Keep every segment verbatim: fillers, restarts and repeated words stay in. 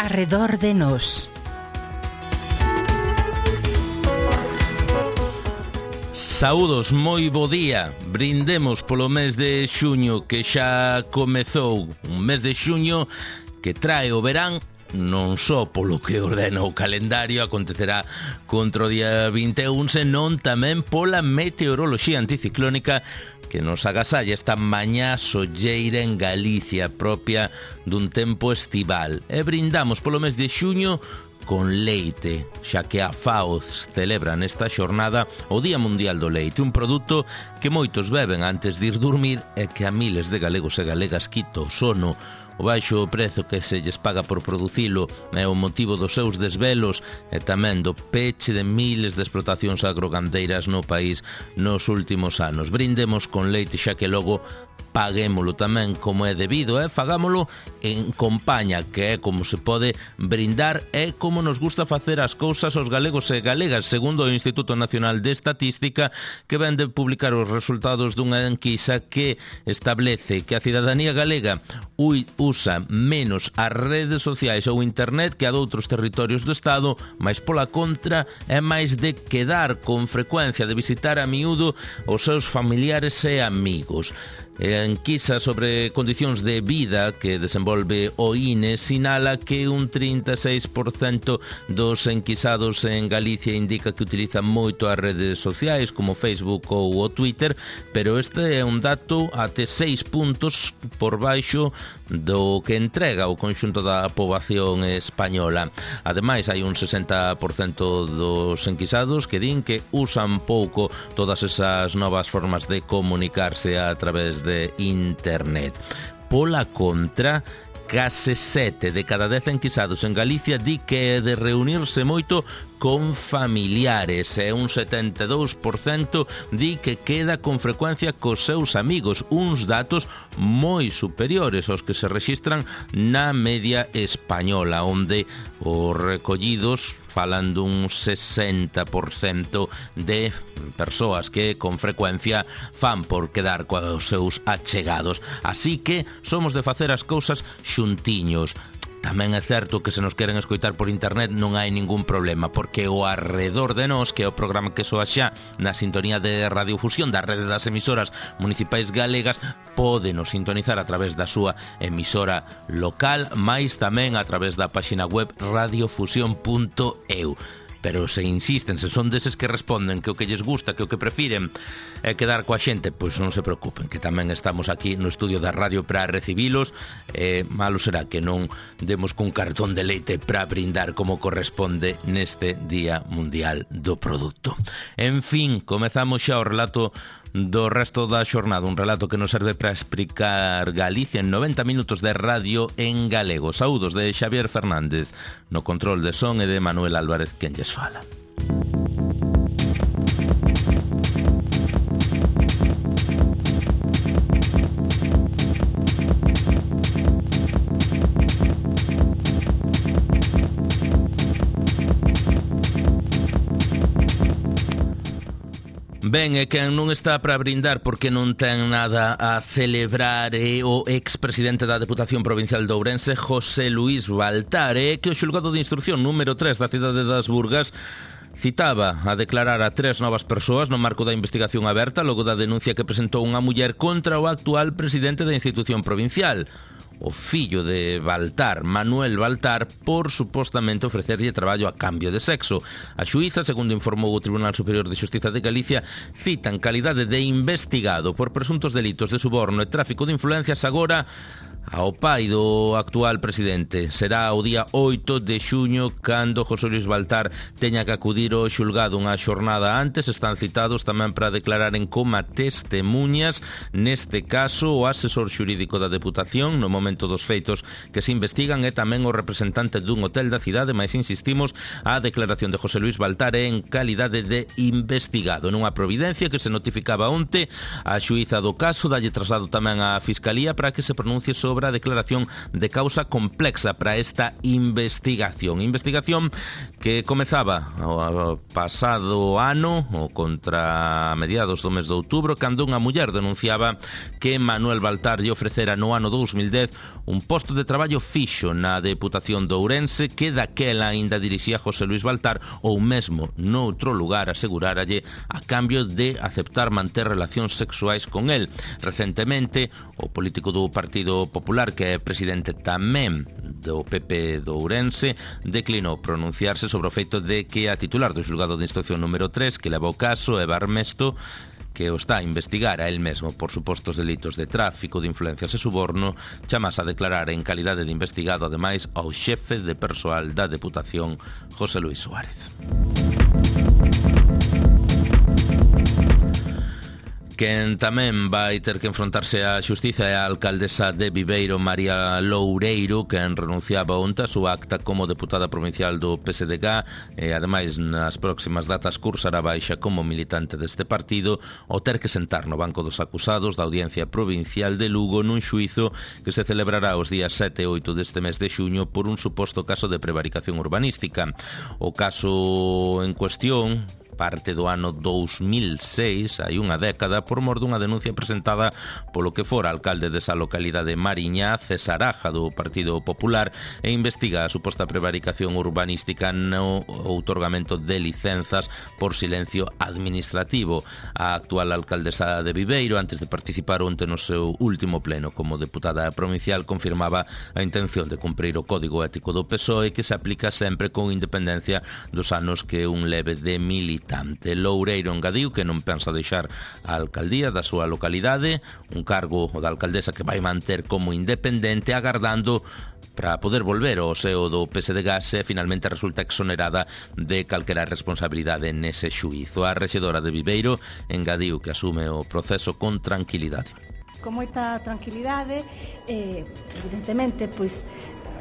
arredor de nós. Saúdos, moi bo día. Brindemos polo mes de xuño que xa comezou. Un mes de xuño que trae o verán, non só polo que ordena o calendario, acontecerá contra o día vinte e un, senón tamén pola meteoroloxía anticiclónica que nos agasalla esta mañá solleira en Galicia, propia dun tempo estival. E brindamos polo mes de xuño con leite, xa que a FAO celebra nesta xornada o Día Mundial do Leite, un produto que moitos beben antes de ir dormir e que a miles de galegos e galegas quita o sono. O baixo prezo que se lles paga por producilo é o motivo dos seus desvelos e tamén do peche de miles de explotacións agrogandeiras no país nos últimos anos. Brindemos con leite xa que logo paguémolo tamén como é debido, e fagámolo en compaña, que é como se pode brindar e como nos gusta facer as cousas os galegos e galegas, segundo o Instituto Nacional de Estatística, que ven de publicar os resultados dunha enquisa que establece que a cidadanía galega usa menos as redes sociais ou internet que a doutros territorios do Estado, mas pola contra é máis de quedar con frecuencia, de visitar a miúdo os seus familiares e amigos. A enquisa sobre condicións de vida que desenvolve o I N E sinala que un trinta e seis por cento dos enquisados en Galicia indica que utilizan moito as redes sociais como Facebook ou o Twitter, pero este é un dato até seis puntos por baixo do que entrega o conxunto da poboación española. Ademais, hai un sesenta por cento dos enquisados que din que usan pouco todas esas novas formas de comunicarse a través de internet. Pola contra, case sete de cada dez enquisados en Galicia di que é de reunirse moito con familiares e un setenta e dous por cento di que queda con frecuencia cos seus amigos, uns datos moi superiores aos que se rexistran na media española, onde os recollidos falan dun sesenta por cento de persoas que con frecuencia fan por quedar coa os seus achegados. Así que somos de facer as cousas xuntiños. Tamén é certo que se nos queren escoitar por internet non hai ningún problema, porque o Arredor de Nós, que é o programa que soa xa na sintonía de radiofusión da rede das emisoras municipais galegas, pódenos sintonizar a través da súa emisora local, mais tamén a través da páxina web radiofusión punto e u. Pero se insisten, se son deses que responden que o que lles gusta, que o que prefiren é quedar coa xente, pois non se preocupen, que tamén estamos aquí no estudio da radio para recibilos. E malo será que non demos cun cartón de leite para brindar como corresponde neste Día Mundial do Produto. En fin, comezamos xa o relato do resto da xornada, un relato que nos serve para explicar Galicia en noventa minutos de radio en galego. Saúdos de Xavier Fernández no control de son e de Manuel Álvarez quen lles fala. Ben, e quen non está para brindar porque non ten nada a celebrar é o expresidente da Deputación Provincial de Ourense, José Luís Baltar, e que o xulgado de instrucción número tres da cidade das Burgas citaba a declarar a tres novas persoas no marco da investigación aberta logo da denuncia que presentou unha muller contra o actual presidente da institución provincial, o fillo de Baltar, Manuel Baltar, por supostamente ofrecerlle traballo a cambio de sexo. A xuíza, segundo informou o Tribunal Superior de Xustiza de Galicia, cita en calidade de investigado por presuntos delitos de suborno e tráfico de influencias agora ao pai do actual presidente. Será o día oito de xuño cando José Luís Baltar teña que acudir ao xulgado unha xornada antes. Están citados tamén para declarar en coma testemunhas, neste caso o asesor xurídico da Deputación no momento dos feitos que se investigan e tamén o representante dun hotel da cidade, mas insistimos, a declaración de José Luís Baltar é en calidade de investigado. Nunha providencia que se notificaba onte, a xuíza do caso dalle traslado tamén á Fiscalía para que se pronuncie sobre a declaración de causa complexa para esta investigación. Investigación que comezaba o pasado ano, ou contra mediados do mes de outubro, cando unha muller denunciaba que Manuel Baltar lle ofrecera no ano dous mil dez un posto de traballo fixo na Deputación de Ourense que daquela aínda dirixía José Luis Baltar ou mesmo noutro lugar aseguráralle a cambio de aceptar manter relacións sexuais con el. Recentemente, o político do Partido Popular, que é presidente tamén do P P de Ourense, declinou pronunciarse sobre o feito de que a titular do xulgado de instrucción número tres que leva o caso, Eva Armesto, que o está a investigar a él mesmo por supostos delitos de tráfico de influencias e suborno, chamase a declarar en calidade de investigado ademais ao xefe de persoal da Deputación, José Luis Suárez. Quen tamén vai ter que enfrontarse á xustiza é a alcaldesa de Viveiro, María Loureiro, quen renunciaba onte a súa acta como deputada provincial do P S D G e ademais nas próximas datas cursará baixa como militante deste partido ao ter que sentar no banco dos acusados da Audiencia Provincial de Lugo nun xuízo que se celebrará os días sete e oito deste mes de xuño por un suposto caso de prevaricación urbanística. O caso en cuestión parte do ano dous mil seis, hai unha década, por mor dunha denuncia presentada polo que fora alcalde desa localidade Mariña, César Aja, do Partido Popular, e investiga a suposta prevaricación urbanística no outorgamento de licenzas por silencio administrativo. A actual alcaldesa de Viveiro, antes de participar onte no seu último pleno como deputada provincial, confirmaba a intención de cumprir o Código Ético do P S O E, que se aplica sempre con independencia dos anos que un leve de militante. Loureiro engadiu que non pensa deixar a alcaldía da súa localidade, un cargo da alcaldesa que vai manter como independente, agardando para poder volver ao seo do P S D G se finalmente resulta exonerada de calquera responsabilidade nese xuízo. A rexedora de Viveiro engadiu que asume o proceso con tranquilidade. Con moita tranquilidade, eh, evidentemente, pois,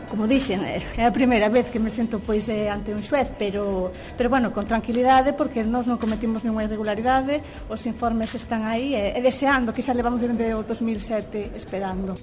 como dixen, é a primeira vez que me sento pois ante un xuez, pero pero bueno, con tranquilidade, porque nós non cometimos ninguna irregularidade, os informes están aí e, e deseando, que xa levamos desde o dos mil sete esperando.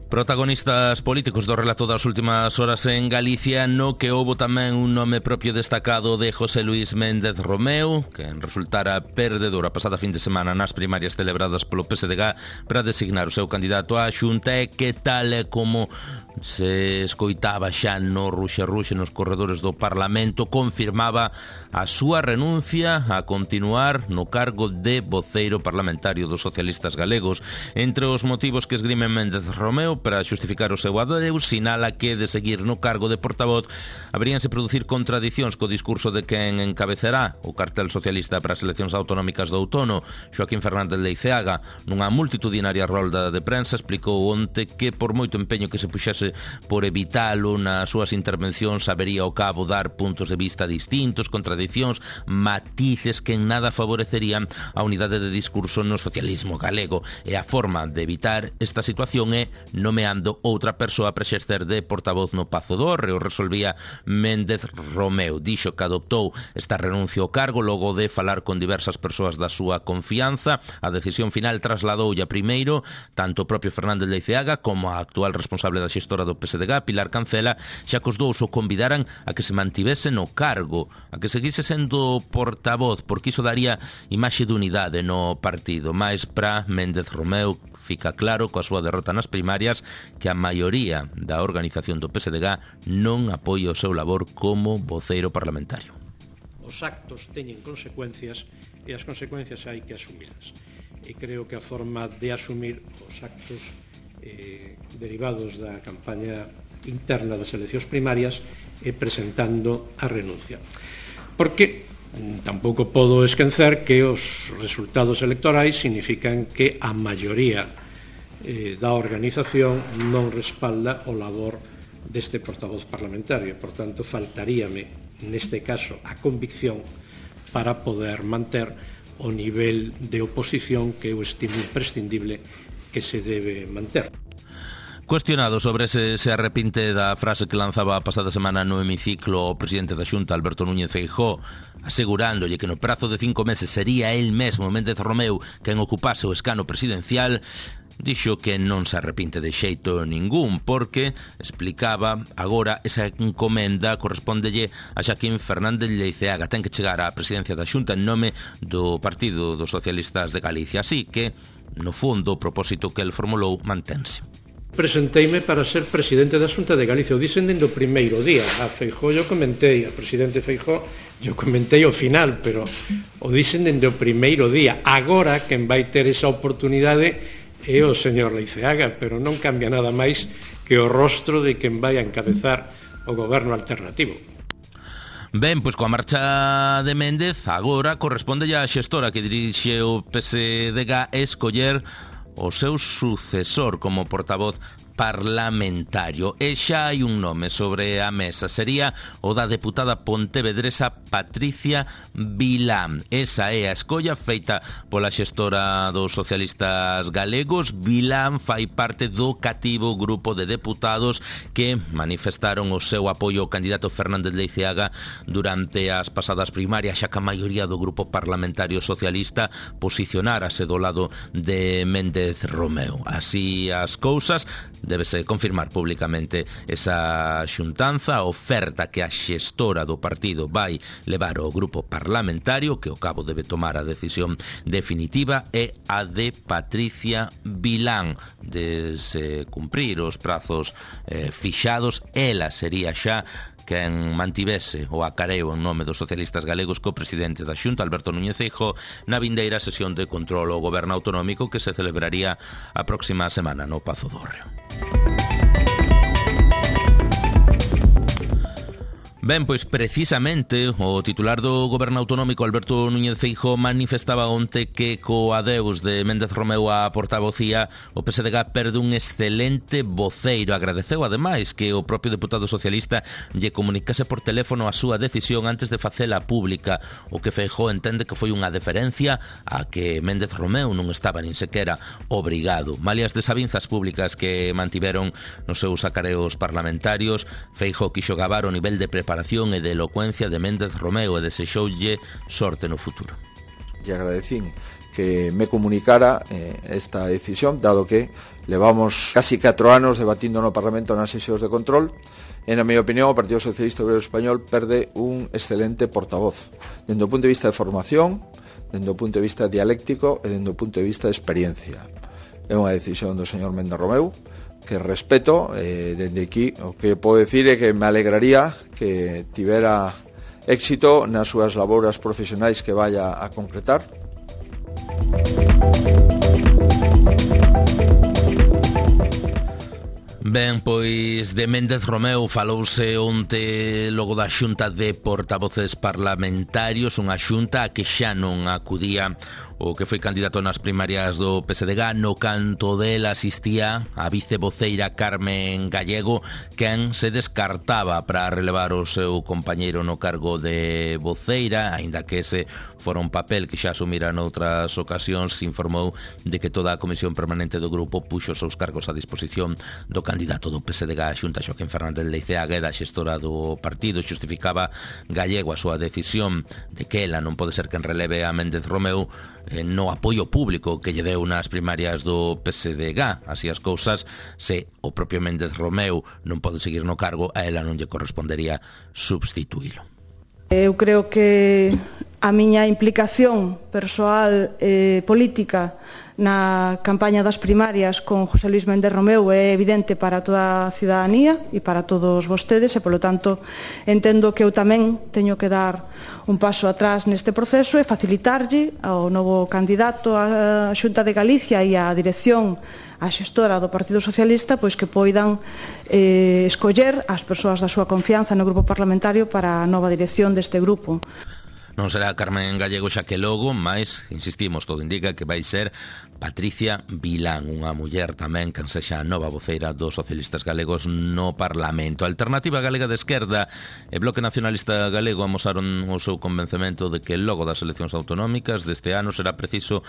Protagonistas políticos do relato das últimas horas en Galicia, no que houbo tamén un nome propio destacado de José Luis Méndez Romeu, que resultara perdedor a pasada fin de semana nas primarias celebradas polo P S D G para designar o seu candidato á Xunta, e que tal e como se escoitaba xa no ruxe-ruxe nos corredores do Parlamento, confirmaba a súa renuncia a continuar no cargo de voceiro parlamentario dos socialistas galegos. Entre os motivos que esgrime Méndez Romeu para xustificar o seu adeus, sinala que de seguir no cargo de portavoz haberíanse producir contradicións co discurso de quen encabezará o cartel socialista para as eleccións autonómicas do outono. Joaquín Fernández Leiceaga, nunha multitudinaria rolda de prensa, explicou onte que por moito empeño que se puxese por evitalo nas súas intervencións, habería ao cabo dar puntos de vista distintos, contradicións, matices que en nada favorecerían a unidade de discurso no socialismo galego, e a forma de evitar esta situación é nomeando outra persoa para exercer de portavoz no Pazo do Hórreo, resolvía Méndez Romeu. Dixo que adoptou esta renuncia ao cargo logo de falar con diversas persoas da súa confianza. A decisión final trasladoulla primeiro tanto o propio Fernández Leiceaga como a actual responsable da xestora do P S D G, Pilar Cancela, xa que os dous o convidaran a que se mantivese no cargo, a que seguise sendo portavoz, porque iso daría imaxe de unidade no partido. Mais para Méndez Romeu fica claro coa súa derrota nas primarias que a maioría da organización do P S D G non apoia o seu labor como voceiro parlamentario. Os actos teñen consecuencias e as consecuencias hai que asumirlas. E creo que a forma de asumir os actos eh, derivados da campaña interna das eleccións primarias é presentando a renuncia. Porque tampouco podo esquecer que os resultados electorais significan que a maioría eh, da organización non respalda o labor deste portavoz parlamentario. Por tanto, faltaríame, neste caso, a convicción para poder manter o nivel de oposición que eu estimo imprescindible que se debe manter. Cuestionado sobre se se arrepinte da frase que lanzaba a pasada semana no hemiciclo o presidente da Xunta, Alberto Núñez Feijóo, asegurándolle que no prazo de cinco meses sería el mesmo, Méndez Romeu, quen ocupase o escano presidencial, dixo que non se arrepinte de xeito ningún porque, explicaba, agora esa encomenda correspóndelle a Xaquín Fernández Leiceaga. Ten que chegar á presidencia da Xunta en nome do Partido dos Socialistas de Galicia, así que, no fondo, o propósito que el formulou mantense. Presenteime para ser presidente da Xunta de Galicia. O dixen dende o primeiro día. A Feijóo eu comentei, a presidente Feijóo eu comentei o final, pero o dixen dende o primeiro día. Agora, quen vai ter esa oportunidade é o señor Leiceaga, pero non cambia nada máis que o rostro de quen vai a encabezar o goberno alternativo. Ben, pois coa marcha de Méndez, agora corresponde a xestora que dirixe o P S D G escoller o seu sucesor como portavoz parlamentario. E xa hai un nome sobre a mesa, sería o da deputada pontevedresa Patricia Vilán. Esa é a escolla feita pola xestora dos socialistas galegos. Vilán fai parte do cativo grupo de deputados que manifestaron o seu apoio ao candidato Fernández Leiceaga durante as pasadas primarias, xa que a maioría do grupo parlamentario socialista posicionárase do lado de Méndez Romeu. Así as cousas, débese confirmar públicamente esa xuntanza, a oferta que a xestora do partido vai levar ao grupo parlamentario, que ao cabo debe tomar a decisión definitiva, é a de Patricia Vilán. De se cumprir os prazos eh, fixados, ela sería xa quen mantivese o acareo en nome dos socialistas galegos co presidente da Xunta, Alberto Núñez Feijóo, na vindeira sesión de control ao goberno autonómico que se celebraría a próxima semana no Pazo do Hórreo. Ben, pois precisamente o titular do goberno autonómico, Alberto Núñez Feijóo, manifestaba onte que co adeus de Méndez Romeu á portavocía o P S D G perde un excelente voceiro. Agradeceu ademais que o propio deputado socialista lle comunicase por teléfono a súa decisión antes de facela pública, o que Feijóo entende que foi unha deferencia a que Méndez Romeu non estaba nin sequera obrigado. Malias desavinzas públicas que mantiveron nos seus acareos parlamentarios, Feijóo quixo gabar o nivel de preparación e de elocuencia de Méndez Romeu e desexoulle sorte no futuro. E agradecín que me comunicara eh, esta decisión, dado que levamos casi catro anos debatindo no Parlamento nas sesións de control. E, na miña opinión, o Partido Socialista Obrero Español perde un excelente portavoz, dende o punto de vista de formación, dende o punto de vista dialéctico e dende o punto de vista de experiencia. É unha decisión do señor Méndez Romeu que respeto, eh, dende aquí o que podo decir é que me alegraría que tivera éxito nas súas labouras profesionais que vaya a concretar. Ben, pois de Méndez Romeu falouse onte logo da xunta de portavoces parlamentarios, unha xunta a que xa non acudía o que foi candidato nas primarias do P S D G. No canto dela asistía a vicevoceira Carmen Gallego, quen se descartaba para relevar o seu compañeiro no cargo de voceira, aínda que ese fora un papel que xa asumira noutras ocasións. Se informou de que toda a comisión permanente do grupo puxo os seus cargos a disposición do candidato do P S D G a Xunta, Xaquín Fernández Leiceaga, e da xestora do partido. Xustificaba Gallego a súa decisión de que ela non pode ser quen releve a Méndez Romeu eh, no apoio público que lle deu nas primarias do P S D G. Así as cousas, se o propio Méndez Romeu non pode seguir no cargo, a ela non lle correspondería substituílo. Eu creo que a miña implicación persoal e política na campaña das primarias con José Luís Méndez Romeu é evidente para toda a ciudadanía e para todos vostedes, e polo tanto entendo que eu tamén teño que dar un paso atrás neste proceso e facilitarlle ao novo candidato á Xunta de Galicia e á dirección, a xestora do Partido Socialista, pois que poidan eh, escoller as persoas da súa confianza no grupo parlamentario para a nova dirección deste grupo. Non será Carmen Gallego xa que logo, mais, insistimos, todo indica que vai ser Patricia Vilán, unha muller tamén que sexa a nova voceira dos socialistas galegos no Parlamento. A Alternativa Galega de Esquerda e Bloque Nacionalista Galego amosaron o seu convencemento de que logo das eleccións autonómicas deste ano será preciso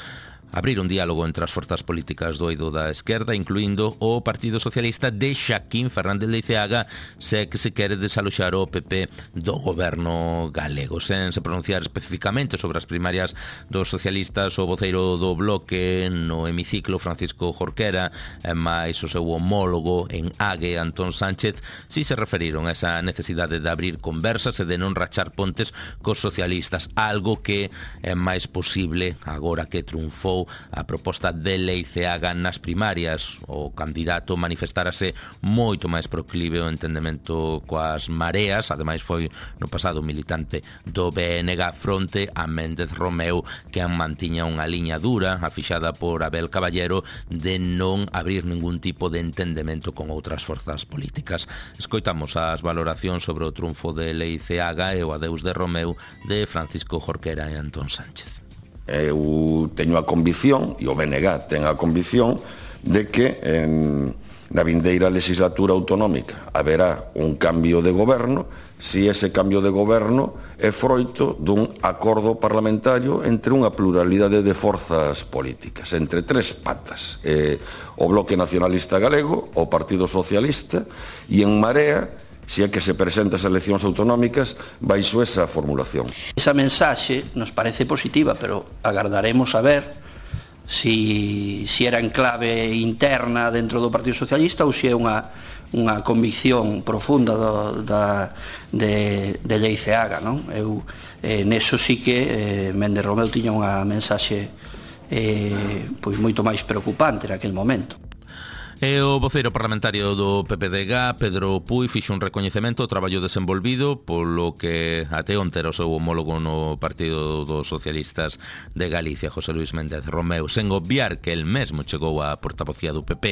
abrir un diálogo entre as forzas políticas do eido da esquerda, incluindo o Partido Socialista de Xaquín Fernández Leiceaga, se que se quere desaloxar o P P do goberno galego. Sen se pronunciar especificamente sobre as primarias dos socialistas, o voceiro do Bloque no hemiciclo, Francisco Jorquera, e máis o seu homólogo en Ague, Antón Sánchez, si se referiron a esa necesidade de abrir conversas e de non rachar pontes cos socialistas, algo que é máis posible agora que triunfou a proposta de Leiceaga nas primarias. O candidato manifestárase moito máis proclive ao entendemento coas mareas, ademais foi no pasado militante do B N G fronte a Méndez Romeu, que mantiña unha liña dura, afixada por Abel Caballero, de non abrir ningún tipo de entendemento con outras forzas políticas. Escoitamos as valoracións sobre o triunfo de Leiceaga e o adeus de Romeu de Francisco Jorquera e Antón Sánchez. Eu teño a convicción, e o B N G ten a convicción, de que en, na vindeira legislatura autonómica haberá un cambio de goberno, si ese cambio de goberno é froito dun acordo parlamentario entre unha pluralidade de forzas políticas, entre tres patas, eh, o Bloque Nacionalista Galego, o Partido Socialista e en Marea, se é que se presenta as eleccións autonómicas baixo esa formulación. Esa mensaxe nos parece positiva, pero agardaremos a ver si, si era en clave interna dentro do Partido Socialista ou se é unha, unha convicción profunda do, da, de, de Leiceaga, non? Eu, eh, neso sí que eh, Méndez Romeu tiña unha mensaxe eh, pois moito máis preocupante naquele momento. E o voceiro parlamentario do P P D G, Pedro Puy, fixo un recoñecemento ao traballo desenvolvido polo que até onte era o seu homólogo no Partido dos Socialistas de Galicia, José Luis Méndez Romeu, sen obviar que el mesmo chegou á portavocía do P P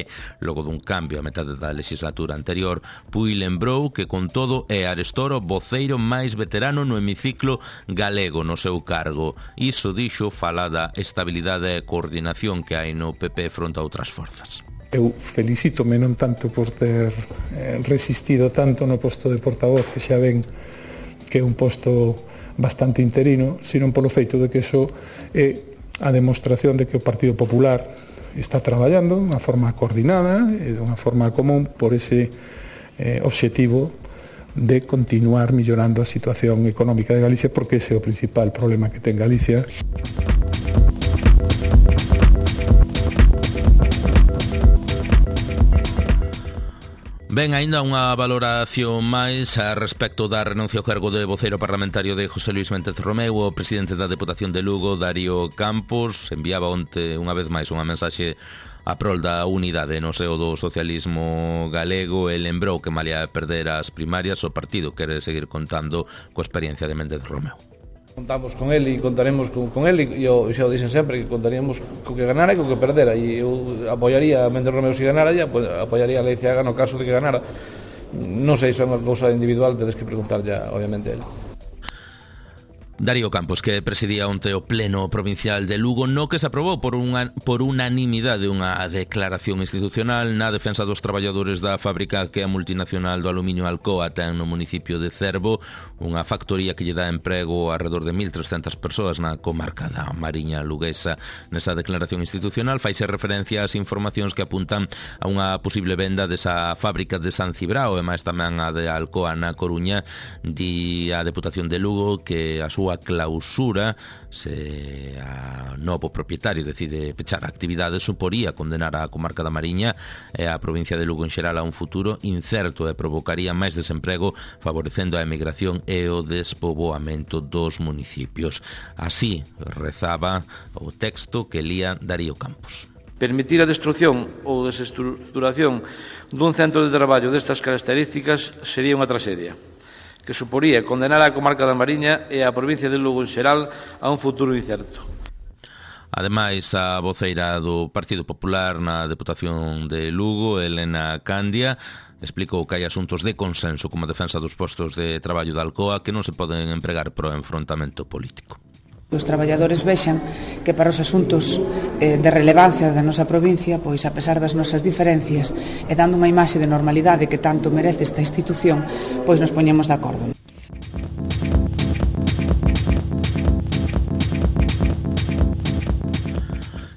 logo dun cambio a metade da legislatura anterior. Puy lembrou que con todo é Arestoro voceiro máis veterano no hemiciclo galego no seu cargo. Iso dixo fala da estabilidade e coordinación que hai no P P fronte a outras forzas. Eu felicítome non tanto por ter eh, resistido tanto no posto de portavoz, que xa ven que é un posto bastante interino, sino polo feito de que iso é a demostración de que o Partido Popular está traballando de unha forma coordinada e de unha forma común por ese eh, obxectivo de continuar millorando a situación económica de Galicia, porque ese é o principal problema que ten Galicia. Ben, aínda unha valoración máis a respecto da renuncia ao cargo de voceiro parlamentario de José Luis Méndez Romeu. O presidente da Deputación de Lugo, Darío Campos, enviaba onte unha vez máis unha mensaxe a prol da unidade no seo do socialismo galego e lembrou que malia perder as primarias o partido quere seguir contando coa experiencia de Méndez Romeu. Contamos con él e contaremos con, con él e eu xa o dixen sempre que contaríamos co que ganara e co que perdera, e eu apoiaría a Méndez Romeu se ganara e apoiaría a Leiceaga no caso de que ganara. Non sei, se é unha cousa individual, tedes que preguntar ya obviamente a él. Darío Campos, que presidía onte o Pleno Provincial de Lugo, no que se aprobou por, unha, por unanimidade unha declaración institucional na defensa dos traballadores da fábrica que a multinacional do aluminio Alcoa ten no municipio de Cervo, unha factoría que lle dá emprego a alrededor de mil trescentas persoas na comarca da Mariña Luguesa. Nesa declaración institucional faise referencia ás informacións que apuntan a unha posible venda desa fábrica de San Cibrao e máis tamén a de Alcoa na Coruña. Di a Deputación de Lugo que a súa a clausura, se a novo propietario decide pechar a actividade, suporía condenar a comarca da Mariña e a provincia de Lugo en xeral a un futuro incerto e provocaría máis desemprego, favorecendo a emigración e o despoboamento dos municipios. Así rezaba o texto que lía Darío Campos. Permitir a destrucción ou desestruturación dun centro de traballo destas características sería unha tragedia que suporía condenar a comarca da Mariña e a provincia de Lugo en xeral a un futuro incerto. Ademais, a voceira do Partido Popular na Deputación de Lugo, Elena Candia, explicou que hai asuntos de consenso como a defensa dos postos de traballo da Alcoa que non se poden empregar para o enfrontamento político. Os traballadores vexan que para os asuntos eh, de relevancia da nosa provincia, pois a pesar das nosas diferencias e dando unha imaxe de normalidade que tanto merece esta institución, pois nos poñemos de acordo.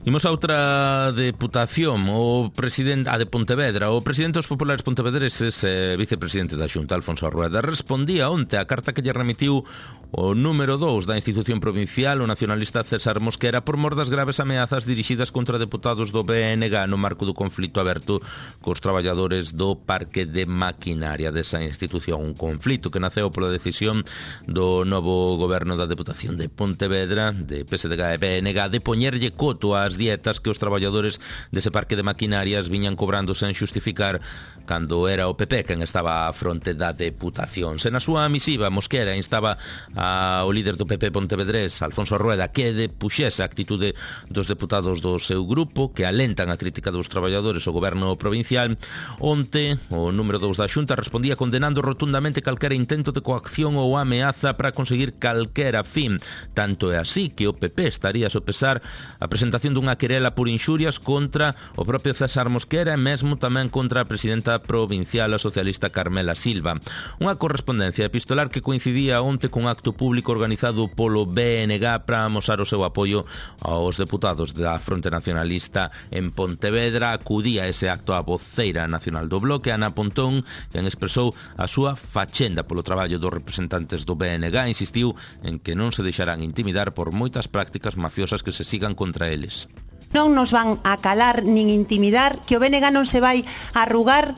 Imos a outra deputación, o presidente, a de Pontevedra. O presidente dos populares pontevedreses e vicepresidente da Xunta, Alfonso Rueda, respondía onte a carta que lle remitiu o número dous da institución provincial, o nacionalista César Mosquera, por mor das graves ameazas dirixidas contra deputados do B N G no marco do conflito aberto cos traballadores do parque de maquinaria desa institución. Un conflito que naceu pola decisión do novo goberno da Deputación de Pontevedra, de P S D G e B N G, de poñerlle coto ás dietas que os traballadores dese parque de maquinarias viñan cobrando sen xustificar cando era o P P quen estaba á fronte da Deputación. Se na súa misiva Mosquera instaba ao líder do P P pontevedrés, Alfonso Rueda, que depuxese a actitude dos deputados do seu grupo que alentan a crítica dos traballadores ao goberno provincial. Onte, o número dous da Xunta respondía condenando rotundamente calquera intento de coacción ou ameaza para conseguir calquera fin. Tanto é así que o P P estaría a sopesar a presentación dunha querela por inxurias contra o propio César Mosquera e mesmo tamén contra a presidenta provincial, a socialista Carmela Silva. Unha correspondencia epistolar que coincidía onte cun acto público organizado polo B N G para amosar o seu apoio aos deputados da Fronte Nacionalista en Pontevedra. Acudía a ese acto a voceira nacional do bloque, Ana Pontón, quen expresou a súa fachenda polo traballo dos representantes do B N G. Insistiu en que non se deixarán intimidar por moitas prácticas mafiosas que se sigan contra eles. Non nos van a calar nin intimidar, que o B N G non se vai arrugar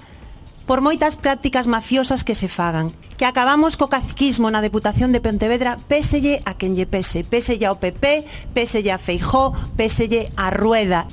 por moitas prácticas mafiosas que se fagan. Que acabamos co caciquismo na Deputación de Pontevedra, péselle a quen lle pese, péselle ao P P, péselle a Feijóo, péselle a Rueda.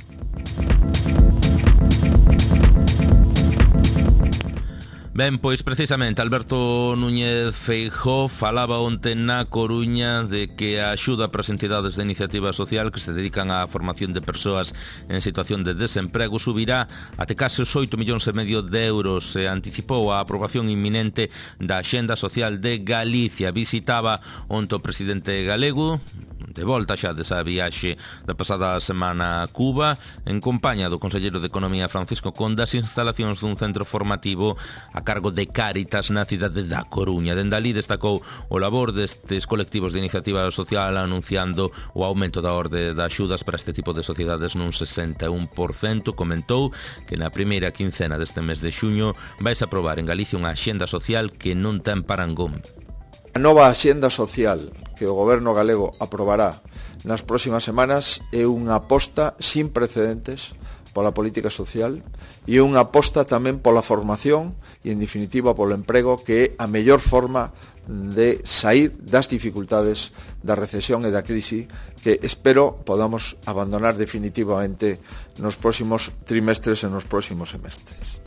Ben, pois precisamente Alberto Núñez Feijóo falaba onte na Coruña de que a axuda para as entidades de iniciativa social que se dedican á formación de persoas en situación de desemprego subirá até case os oito millóns e medio de euros. Se anticipou a aprobación inminente da Axenda Social de Galicia. Visitaba onte o presidente galego, de volta xa desa viaxe da pasada semana a Cuba, en compañía do conselleiro de Economía Francisco Conde, as instalacións dun centro formativo a cargo de Cáritas na cidade da Coruña. Dende alí destacou o labor destes colectivos de iniciativa social anunciando o aumento da orde de axudas para este tipo de sociedades nun sesenta e un por cento. Comentou que na primeira quincena deste mes de xuño vais a aprobar en Galicia unha axenda social que non ten parangón. A nova axenda social que o goberno galego aprobará nas próximas semanas é unha aposta sin precedentes pola política social e unha aposta tamén pola formación e, en definitiva, polo emprego, que é a mellor forma de sair das dificultades da recesión e da crise que espero podamos abandonar definitivamente nos próximos trimestres e nos próximos semestres.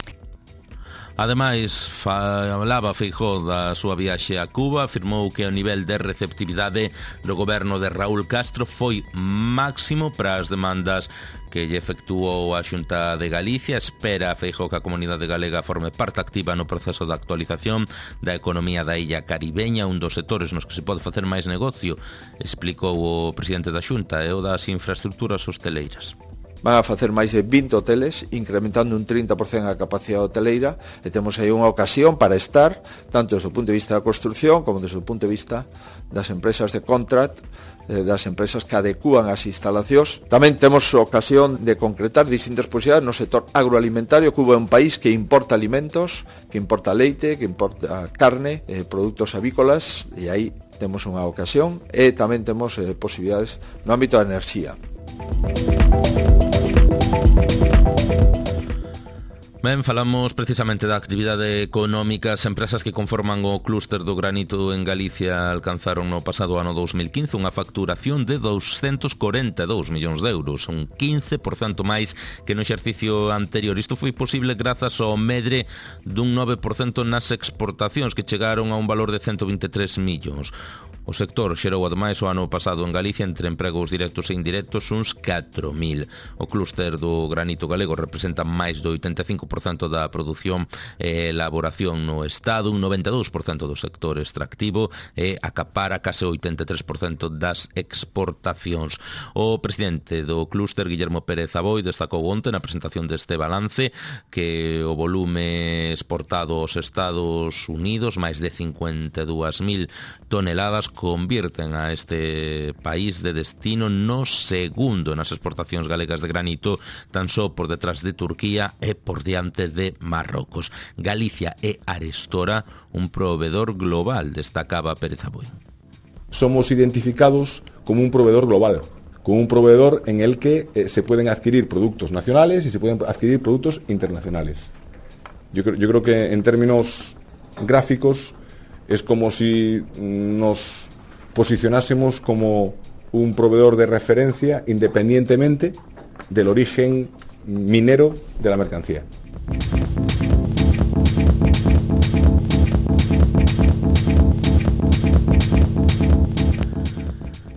Ademais, falaba Feijóo da súa viaxe a Cuba, afirmou que o nivel de receptividade do goberno de Raúl Castro foi máximo para as demandas que lle efectuou a Xunta de Galicia. Espera a Feijóo que a comunidade galega forme parte activa no proceso de actualización da economía da illa caribeña, un dos sectores nos que se pode facer máis negocio, explicou o presidente da Xunta, e o das infraestructuras hosteleiras. Van a facer máis de vinte hoteles, incrementando un trinta por cento a capacidade hoteleira, e temos aí unha ocasión para estar, tanto desde o punto de vista da construción como desde o punto de vista das empresas de contract, das empresas que adecúan as instalacións. Tamén temos ocasión de concretar distintas posibilidades no sector agroalimentario. Cuba é un país que importa alimentos, que importa leite, que importa carne, eh, produtos avícolas, e aí temos unha ocasión, e tamén temos eh, posibilidades no ámbito da enerxía. Ben, falamos precisamente da actividade económica. As empresas que conforman o clúster do granito en Galicia alcanzaron no pasado ano dos mil quince unha facturación de doscientos corenta e dous millóns de euros, un quince por cento máis que no exercicio anterior. Isto foi posible grazas ao medre dun nove por cento nas exportacións, que chegaron a un valor de ciento vinte e tres millóns. O sector xerou ademais o ano pasado en Galicia entre empregos directos e indirectos uns catro mil. O clúster do granito galego representa máis do oitenta e cinco por cento da produción e elaboración no Estado, un noventa e dous por cento do sector extractivo e acapara case o oitenta e tres por cento das exportacións. O presidente do clúster, Guillermo Pérez Aboi, destacou onte na presentación deste balance que o volume exportado aos Estados Unidos, máis de cincuenta e dúas mil toneladas, convirten a este país de destino no segundo nas exportacións galegas de granito, tan só por detrás de Turquía e por diante de Marrocos. Galicia é arestora un proveedor global, destacaba Pérez Aboi. Somos identificados como un proveedor global, como un proveedor en el que eh, se pueden adquirir productos nacionales y se pueden adquirir productos internacionales. Yo creo, yo creo que en términos gráficos es como si nos posicionásemos como un proveedor de referencia independientemente del origen minero de la mercancía.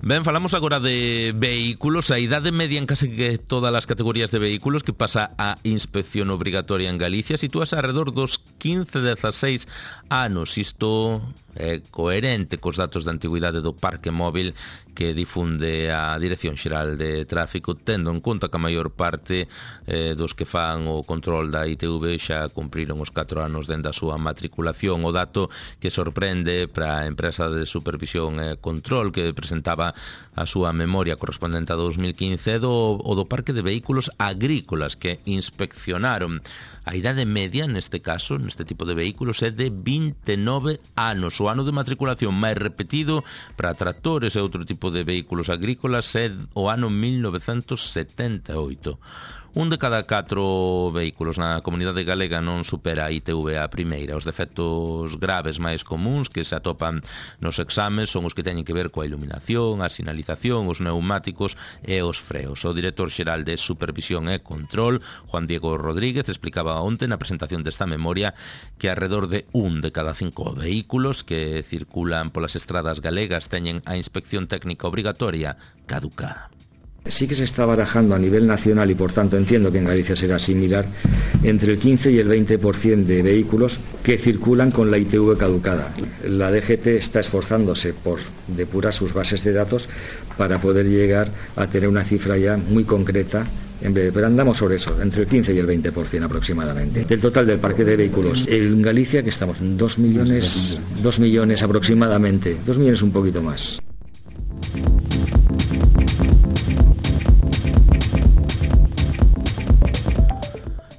Ben, falamos agora de vehículos. A idade media en case que todas as categorías de vehículos que pasa a inspección obrigatoria en Galicia sitúase alrededor dos quince a dezaseis anos. Isto é coherente cos datos de antigüidade do parque móvil que difunde a Dirección Xeral de Tráfico, tendo en conta que a maior parte eh, dos que fan o control da I T V xa cumpriron os catro anos dende a súa matriculación. O dato que sorprende para a empresa de supervisión e control que presentaba a súa memoria correspondente a dos mil quince do, o do parque de vehículos agrícolas que inspeccionaron. A idade media, neste caso, neste tipo de vehículos, é de vinte e nove anos. O ano de matriculación máis repetido para tractores e outro tipo de vehículos agrícolas é o ano mil novecentos setenta e oito. Un de cada catro vehículos na comunidade galega non supera a I T V a primeira. Os defectos graves máis comuns que se atopan nos exames son os que teñen que ver coa iluminación, a sinalización, os neumáticos e os freos. O director xeral de Supervisión e Control, Juan Diego Rodríguez, explicaba onte na presentación desta memoria que alrededor de un de cada cinco vehículos que circulan polas estradas galegas teñen a inspección técnica obrigatoria caducada. Sí que se está barajando a nivel nacional y por tanto entiendo que en Galicia será similar entre el quince y el veinte por ciento de vehículos que circulan con la I T V caducada. La D G T está esforzándose por depurar sus bases de datos para poder llegar a tener una cifra ya muy concreta en breve, pero andamos sobre eso, entre el quince y el veinte por ciento aproximadamente. Del total del parque de vehículos en Galicia, que estamos en dos millones, dos millones aproximadamente, dos millones un poquito más.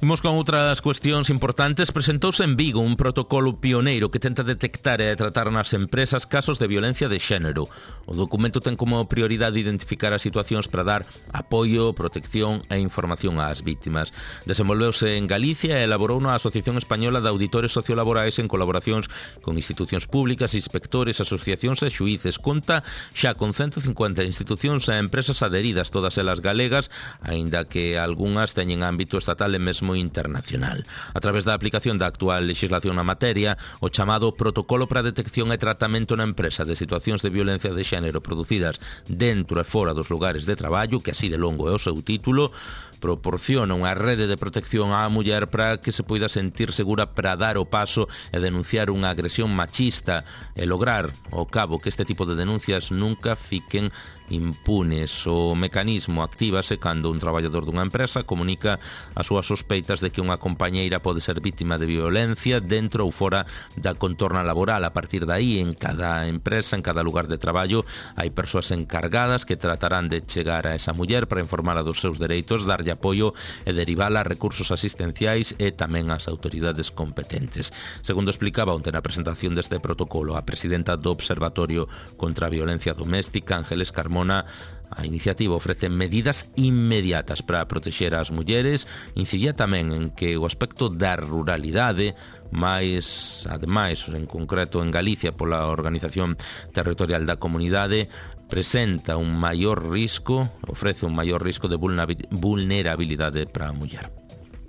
Imos con outras cuestións importantes. Presentouse en Vigo un protocolo pioneiro que tenta detectar e tratar nas empresas casos de violencia de xénero. O documento ten como prioridade identificar as situacións para dar apoio, protección e información ás vítimas. Desenvolveuse en Galicia e elaborou a Asociación Española de Auditores Sociolaborais en colaboracións con institucións públicas, inspectores, asociacións e xuíces. Conta xa con ciento cincuenta institucións e empresas adheridas, todas elas galegas, aínda que algunhas teñen ámbito estatal e mesmo internacional. A través da aplicación da actual legislación na materia, o chamado Protocolo para a Detección e Tratamento na Empresa de Situacións de Violencia de Xénero producidas dentro e fora dos lugares de traballo, que así de longo é o seu título, proporciona unha rede de protección á muller para que se poida sentir segura para dar o paso e denunciar unha agresión machista e lograr ao cabo que este tipo de denuncias nunca fiquen impunes. O mecanismo actívase cando un traballador dunha empresa comunica as súas sospeitas de que unha compañeira pode ser vítima de violencia dentro ou fora da contorna laboral. A partir de aí, en cada empresa, en cada lugar de traballo, hai persoas encargadas que tratarán de chegar a esa muller para informarla dos seus dereitos, darlle apoio e derivala a recursos asistenciais e tamén ás autoridades competentes. Segundo explicaba onte na presentación deste protocolo a presidenta do Observatorio contra a Violencia Doméstica, Ángeles Carmona, a iniciativa ofrece medidas inmediatas para protexer as mulleres, incidía tamén en que o aspecto da ruralidade, máis, ademais, en concreto en Galicia pola Organización Territorial da Comunidade, presenta un maior risco, ofrece un maior risco de vulnerabilidade para a muller.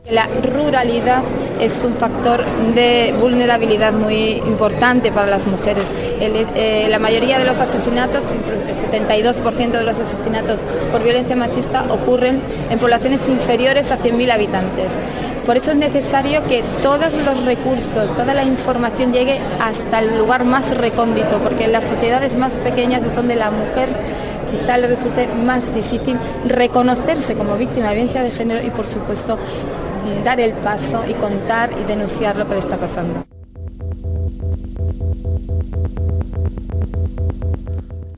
La ruralidad es un factor de vulnerabilidad muy importante para las mujeres. El, eh, la mayoría de los asesinatos, el setenta y dos por ciento de los asesinatos por violencia machista ocurren en poblaciones inferiores a cien mil habitantes. Por eso es necesario que todos los recursos, toda la información llegue hasta el lugar más recóndito, porque en las sociedades más pequeñas es donde la mujer quizá le resulte más difícil reconocerse como víctima de violencia de género y, por supuesto, dar el paso y contar y denunciar lo que le está pasando.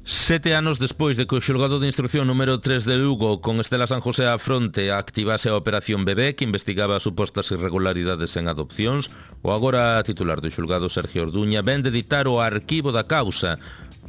Sete anos despois de que o xulgado de instrucción número tres de Lugo con Estela San José á fronte activase a Operación Bebé que investigaba supostas irregularidades en adopcións, o agora titular do xulgado Sergio Orduña ven de editar o arquivo da causa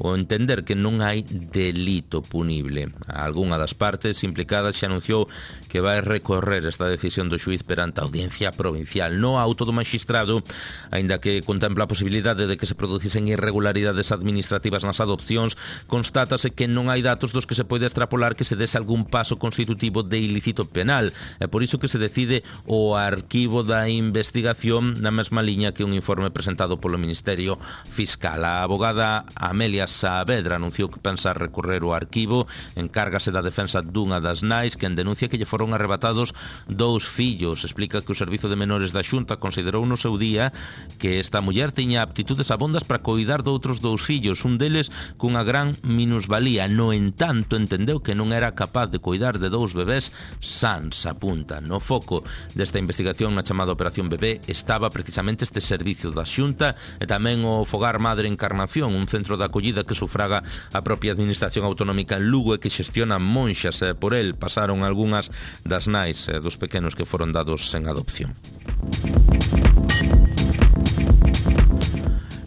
o entender que non hai delito punible. Algunha das partes implicadas xa anunciou que vai recorrer esta decisión do xuiz perante a Audiencia Provincial. No auto do magistrado, aínda que contempla a posibilidade de que se producisen irregularidades administrativas nas adopcións, constátase que non hai datos dos que se pode extrapolar que se dese algún paso constitutivo de ilícito penal. É por iso que se decide o arquivo da investigación na mesma liña que un informe presentado polo Ministerio Fiscal. A abogada Amelia Saavedra anunciou que pensa recorrer o arquivo, encárgase da defensa dunha das nais quen denuncia que lle foron arrebatados dous fillos. Explica que o Servizo de Menores da Xunta considerou no seu día que esta muller tiña aptitudes abondas para coidar doutros dous fillos, un deles cunha gran minusvalía. No entanto, entendeu que non era capaz de coidar de dous bebés sans, apunta. No foco desta investigación na chamada Operación Bebé estaba precisamente este servizo da Xunta e tamén o Fogar Madre Encarnación, un centro de acollida que sufraga a propia Administración Autonómica en Lugo e que xestiona monxas. E por el pasaron algunhas das nais e dos pequenos que foron dados en adopción.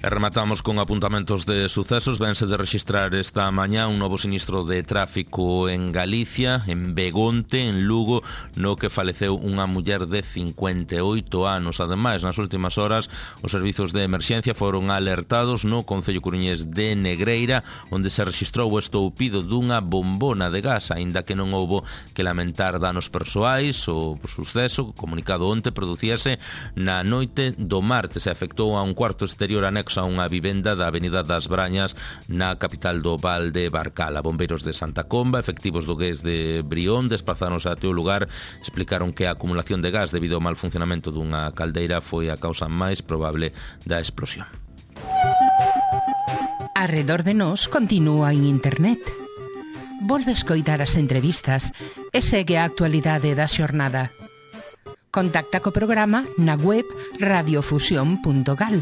E rematamos con apuntamentos de sucesos. Vense de registrar esta mañá un novo sinistro de tráfico en Galicia, en Begonte, en Lugo, no que faleceu unha muller de cincuenta e oito anos. Ademais, nas últimas horas, os servizos de emerxencia foron alertados no concello coruñés de Negreira, onde se registrou o estoupido dunha bombona de gas, aínda que non houbo que lamentar danos persoais. O suceso, comunicado onte, producíase na noite do martes e afectou a un cuarto exterior anexo a unha vivenda da Avenida das Brañas na capital do Val de Barcala. Bombeiros de Santa Comba, efectivos do Gués de Brión, desplazáronse até o lugar, explicaron que a acumulación de gas debido ao mal funcionamento dunha caldeira foi a causa máis probable da explosión. Arredor de nós continúa en internet. Volve escoitar as entrevistas e segue a actualidade da xornada. Contacta co programa na web radiofusión punto gal.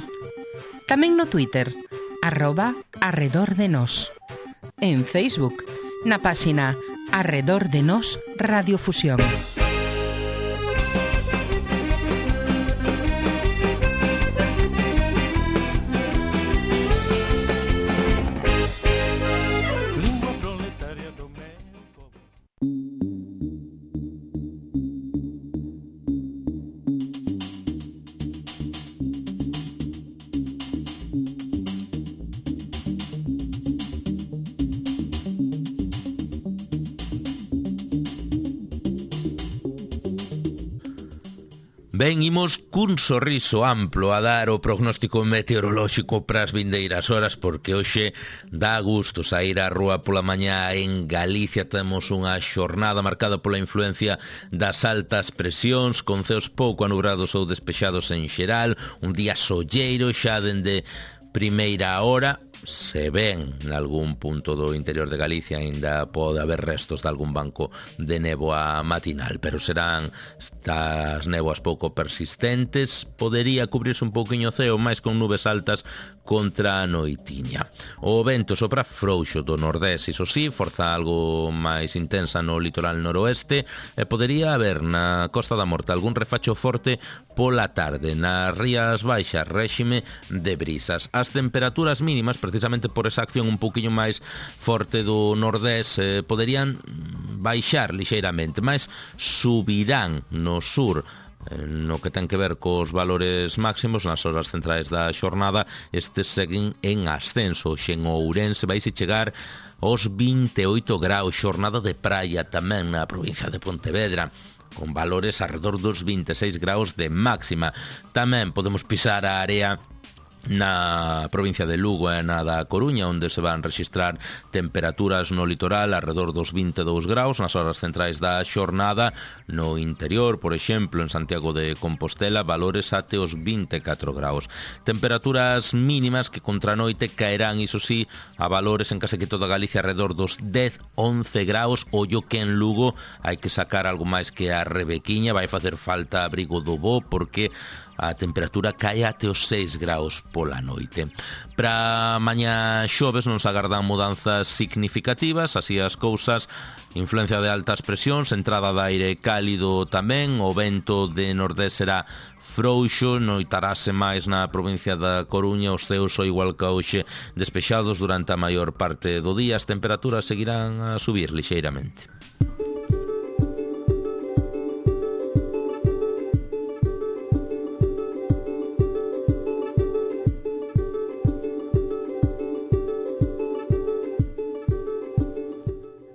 Tamén no Twitter, arroba Arredor de Nós. En Facebook, na páxina Arredor de Nós Radiofusión. Ben, imos cun sorriso amplo a dar o prognóstico meteorolóxico para as vindeiras horas, porque hoxe dá gusto saír á rúa pola mañá. En Galicia temos unha xornada marcada pola influencia das altas presións, con ceos pouco anubrados ou despexados en xeral, un día solleiro xa dende primeira hora. Se ven nalgún punto do interior de Galicia aínda pode haber restos de algún banco de néboa matinal, pero serán estas néboas pouco persistentes. Podería cubrirse un pouquiño o ceo máis con nubes altas contra a noitiña. O vento sopra frouxo do nordés, iso sí, forza algo máis intensa no litoral noroeste, e podería haber na Costa da Morte algún refacho forte pola tarde. Nas Rías Baixas, réxime de brisas. As temperaturas mínimas, precisamente por esa acción un pouquiño máis forte do nordés, eh, poderían baixar lixeiramente, mas subirán no sur. No que ten que ver cos valores máximos nas horas centrais da xornada, estes seguen en ascenso. En Ourense vaise chegar aos vinte e oito graus, xornada de praia tamén na provincia de Pontevedra, con valores alrededor dos vinte e seis graus de máxima. Tamén podemos pisar a área na provincia de Lugo e na da Coruña, onde se van registrar temperaturas no litoral alrededor dos vinte e dous graus nas horas centrais da xornada. No interior, por exemplo, en Santiago de Compostela, valores até os vinte e catro graus. Temperaturas mínimas que contra a noite caerán, iso sí, a valores en case que toda Galicia alrededor dos dez, once graus. Ollo que en Lugo hai que sacar algo máis que a rebequiña, vai facer falta abrigo do bo, porque a temperatura cae até os seis graus pola noite. Para mañá xoves non se agardan mudanzas significativas, así as cousas. Influencia de altas presións, entrada de aire cálido tamén, o vento de nordés será frouxo, noitarase máis na provincia da Coruña, os ceos o igual que hoxe despexados durante a maior parte do día, as temperaturas seguirán a subir lixeiramente.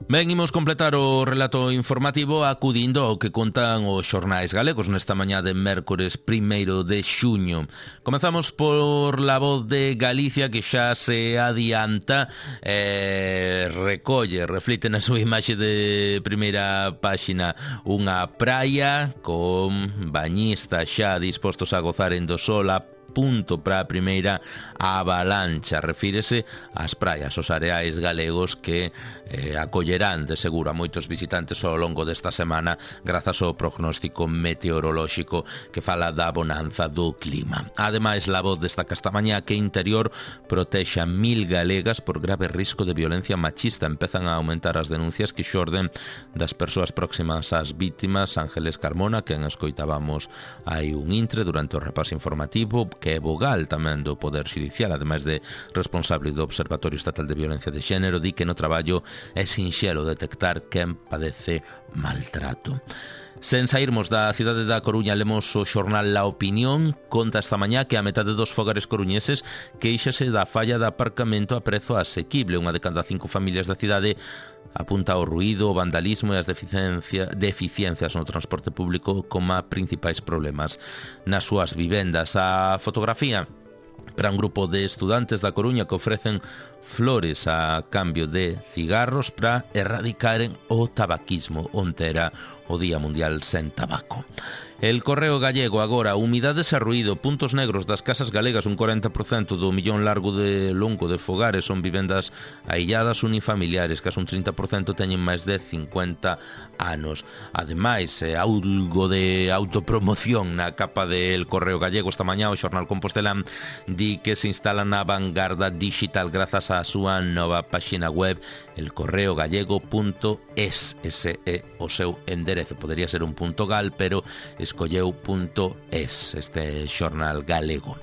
Ben, imos completar o relato informativo acudindo ao que contan os xornais galegos nesta mañá de mércores primeiro de xuño. Comezamos por La Voz de Galicia, que xa se adianta, eh, recolle, reflite na súa imaxe de primeira páxina unha praia con bañistas xa dispostos a gozar en do sol a punto para a primeira avalancha. Refírese ás praias, os areais galegos que eh, acollerán de seguro a moitos visitantes ao longo desta semana grazas ao prognóstico meteorolóxico que fala da bonanza do clima. Ademais, La Voz destaca esta mañá que Interior protexe a mil galegas por grave risco de violencia machista. Empezan a aumentar as denuncias que xorden das persoas próximas ás vítimas. Ángeles Carmona, quen escoitábamos hai un intre durante o repaso informativo, que é vogal tamén do Poder Xudicial, ademais de responsable do Observatorio Estatal de Violencia de Xénero, di que no traballo é sinxelo detectar quen padece maltrato. Sen sairmos da cidade da Coruña, lemos o xornal La Opinión. Conta esta mañá que a metade dos fogares coruñeses queixase da falla de aparcamento a prezo asequible. Unha de cada cinco familias da cidade apunta ao ruído, o vandalismo e as deficiencia, deficiencias no transporte público como principais problemas nas súas vivendas. A fotografía para un grupo de estudantes da Coruña que ofrecen flores a cambio de cigarros para erradicaren o tabaquismo, onte era o Día Mundial sen Tabaco. El Correo Gallego agora, humidades e ruído, puntos negros das casas galegas, un corenta por cento do millón largo de longo de fogares son vivendas ailladas unifamiliares, que un trinta por cento teñen máis de cincuenta anos. Ademais, eh, algo de autopromoción na capa del Correo Gallego esta mañá, o xornal Compostelán di que se instala na vanguarda digital grazas á súa nova páxina web, el correo gallego punto es. Ese é o seu enderezo. Podería ser un punto gal, pero escolleu punto es, este xornal galego.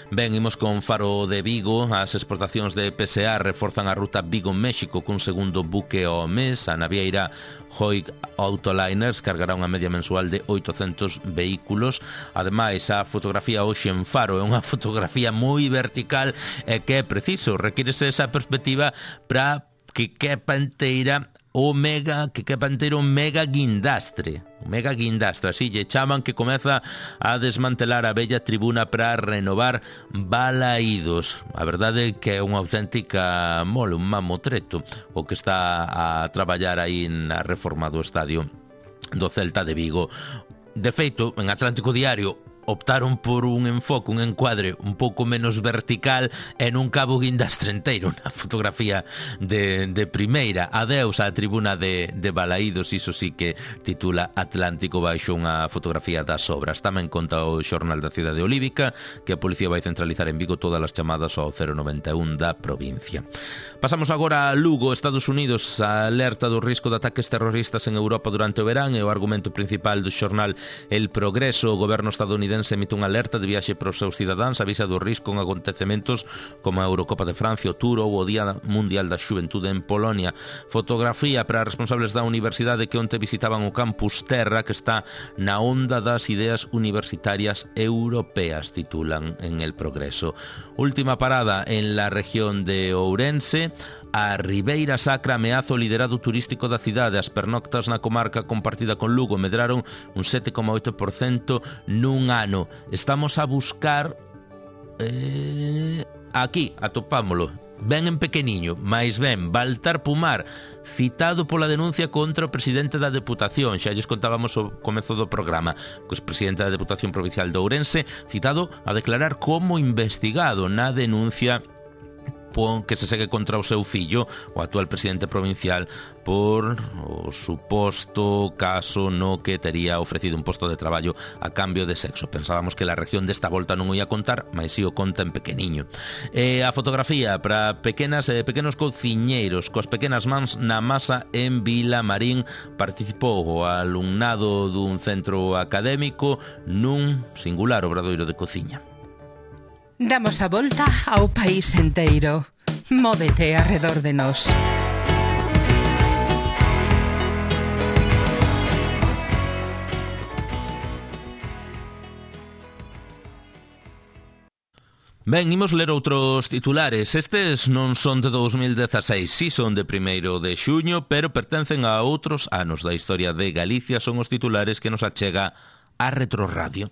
Ben, imos con Faro de Vigo. As exportacións de P S A reforzan a ruta Vigo-México cun segundo buque ao mes. A navieira Hoig Autoliners cargará unha media mensual de oitocentos vehículos. Ademais, a fotografía hoxe en Faro é unha fotografía moi vertical e que é preciso, requírese esa perspectiva para que quepa inteira o mega, que quepa inteiro o mega guindastre. O mega guindastre, así lle chaman, que comeza a desmantelar a bella tribuna para renovar Balaídos. A verdade é que é unha auténtica mole, un mamotreto o que está a traballar aí na reforma do estadio do Celta de Vigo. De feito, en Atlántico Diario optaron por un enfoque, un encuadre un pouco menos vertical e nun cabo guindastre enteiro na fotografía de, de primeira. Adeus á tribuna de, de Balaídos, iso sí que titula Atlántico baixo unha fotografía das obras. Tamén conta o xornal da cidade olívica que a policía vai centralizar en Vigo todas as chamadas ao cero noventa e un da provincia. Pasamos agora a Lugo, Estados Unidos. A alerta do risco de ataques terroristas en Europa durante o verán é o argumento principal do xornal El Progreso. O goberno estadounidense emite unha alerta de viaxe para os seus cidadáns, avisa do risco en acontecementos como a Eurocopa de Francia, o Tour ou o Día Mundial da Xuventude en Polonia. Fotografía para responsables da universidade que onte visitaban o campus Terra, que está na onda das ideas universitarias europeas, titulan en El Progreso. Última parada en la región de Ourense. A Ribeira Sacra ameaza o liderado turístico da cidade. As pernoctas na comarca compartida con Lugo medraron un sete coma oito por cento nun ano. Estamos a buscar eh, aquí, atopámolo ben en pequeniño, máis ben Baltar Pumar, citado pola denuncia contra o presidente da Deputación. Xa lles contábamos o comezo do programa, que o presidente da Deputación Provincial de Ourense citado a declarar como investigado na denuncia opón que se segue contra o seu fillo, o actual presidente provincial, por o suposto caso no que tería ofrecido un posto de traballo a cambio de sexo. Pensábamos que la región desta volta non o ia contar, mas si o conta en pequeniño. E a fotografía para pequenas e pequenos cociñeiros coas pequenas mans na masa en Vilamarín. Participou o alumnado dun centro académico nun singular obradoiro de cociña. Damos a volta ao país enteiro. Móvete arredor de nós. Ben, imos ler outros titulares. Estes non son de dous mil dezaseis, si son de primeiro de xuño, pero pertencen a outros anos da historia de Galicia. Son os titulares que nos achega a Retroradio.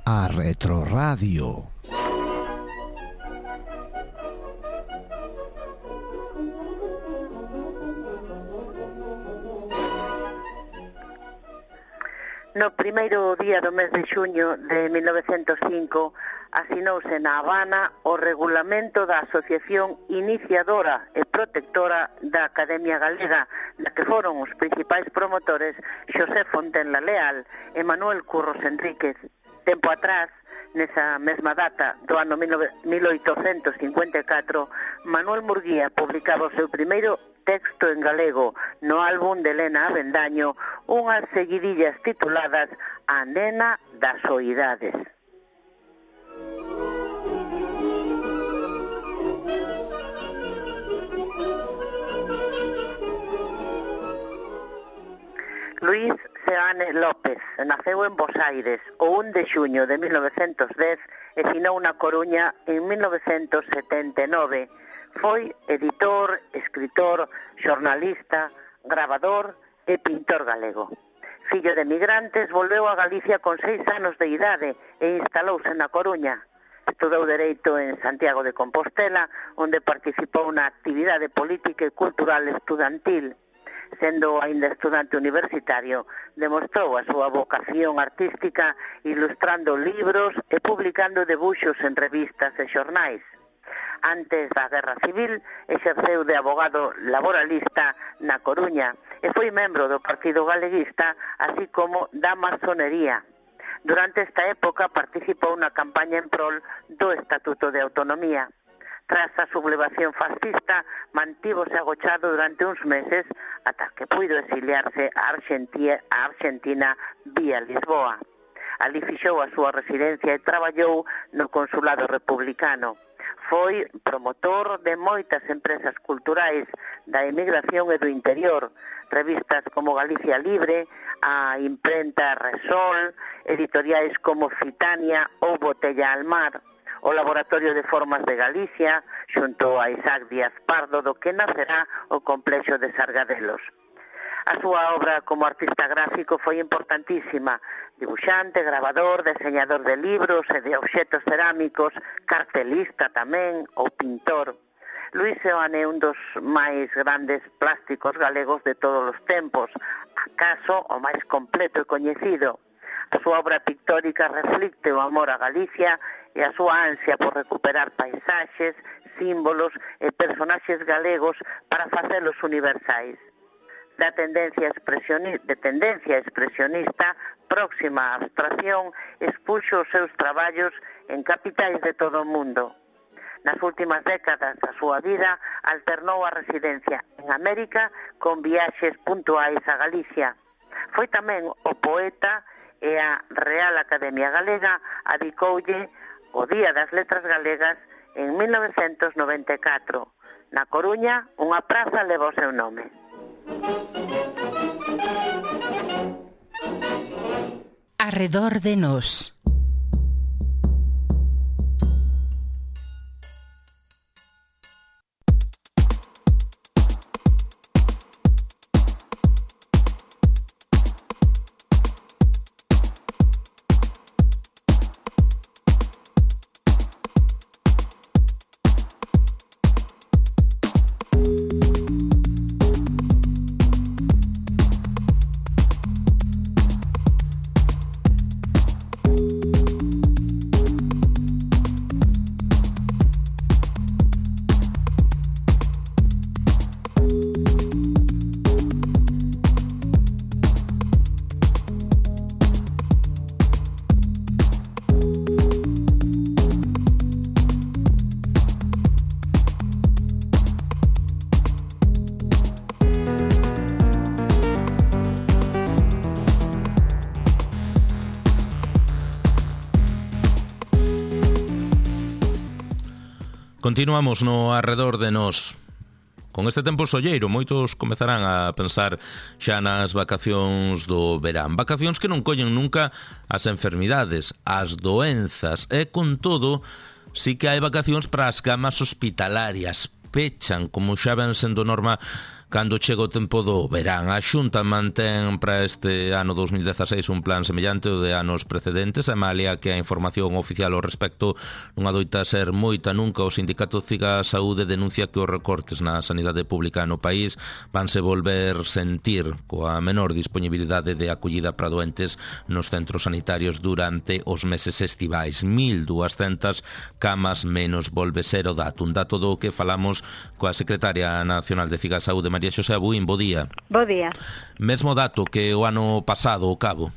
A Retroradio. No primeiro día do mes de xuño de mil novecentos cinco asinouse na Habana o regulamento da Asociación Iniciadora e Protectora da Academia Galega, da que foron os principais promotores Xosé Fontenla Leal e Manuel Curros Enríquez. Tempo atrás, nesa mesma data do ano mil oitocentos cincuenta e catro, Manuel Murguía publicaba o seu primeiro texto en galego no álbum de Elena Avendaño, unhas seguidillas tituladas A nena das oidades. Luís Seane López naceu en Bos Aires o un de xuño de mil novecentos dez e finou na Coruña en mil novecentos setenta e nove. Foi editor, escritor, xornalista, gravador e pintor galego. Fillo de migrantes, volveu a Galicia con seis anos de idade e instalouse na Coruña. Estudou Dereito en Santiago de Compostela, onde participou na actividade política e cultural estudantil. Sendo aínda estudante universitario, demostrou a súa vocación artística ilustrando libros e publicando debuxos en revistas e xornais. Antes da Guerra Civil, exerceu de abogado laboralista na Coruña e foi membro do Partido Galeguista, así como da masonería. Durante esta época participou na campaña en prol do Estatuto de Autonomía. Tras a sublevación fascista, mantívose agochado durante uns meses ata que puido exiliarse a Argentina, a Argentina vía Lisboa. Ali fixou a súa residencia e traballou no Consulado Republicano. Foi promotor de moitas empresas culturais da emigración e do interior, revistas como Galicia Libre, a imprenta Resol, editoriais como Fitania ou Botella al Mar, o Laboratorio de Formas de Galicia, xunto a Isaac Díaz Pardo, do que nacerá o complexo de Sargadelos. A súa obra como artista gráfico foi importantísima, dibuixante, gravador, deseñador de libros e de obxetos cerámicos, cartelista tamén, ou pintor. Luís Seoane é un dos máis grandes plásticos galegos de todos os tempos, acaso o máis completo e coñecido. A súa obra pictórica reflicte o amor a Galicia e a súa ansia por recuperar paisaxes, símbolos e personaxes galegos para facelos universais. Da tendencia expresionista, de tendencia expresionista próxima á abstracción, expuxo os seus traballos en capitais de todo o mundo. Nas últimas décadas da súa vida alternou a residencia en América con viaxes puntuais a Galicia. Foi tamén o poeta e a Real Academia Galega adicoulle o Día das Letras Galegas en mil novecentos noventa e catro. Na Coruña, unha praza leva o seu nome. Arredor de nós. Continuamos no arredor de nós. Con este tempo solleiro, moitos comezarán a pensar xa nas vacacións do verán. Vacacións que non collen nunca as enfermidades, as doenzas, e con todo, sí que hai vacacións para as camas hospitalarias. Pechan, como xa ven sendo norma, cando chega o tempo do verán. A Xunta mantén para este ano dos mil dezaseis un plan semellante ao de anos precedentes, e malia que a información oficial ao respecto non adoita ser moita nunca, o Sindicato Ciga Saúde denuncia que os recortes na sanidade pública no país vanse volver sentir coa menor disponibilidade de acollida para doentes nos centros sanitarios durante os meses estivais. mil duascentas camas menos volve ser o dato, un dato do que falamos coa secretaria nacional de Ciga Saúde, María Xosé Abuín. Bo día. Bo día. Mesmo dato que o ano pasado, o cabo.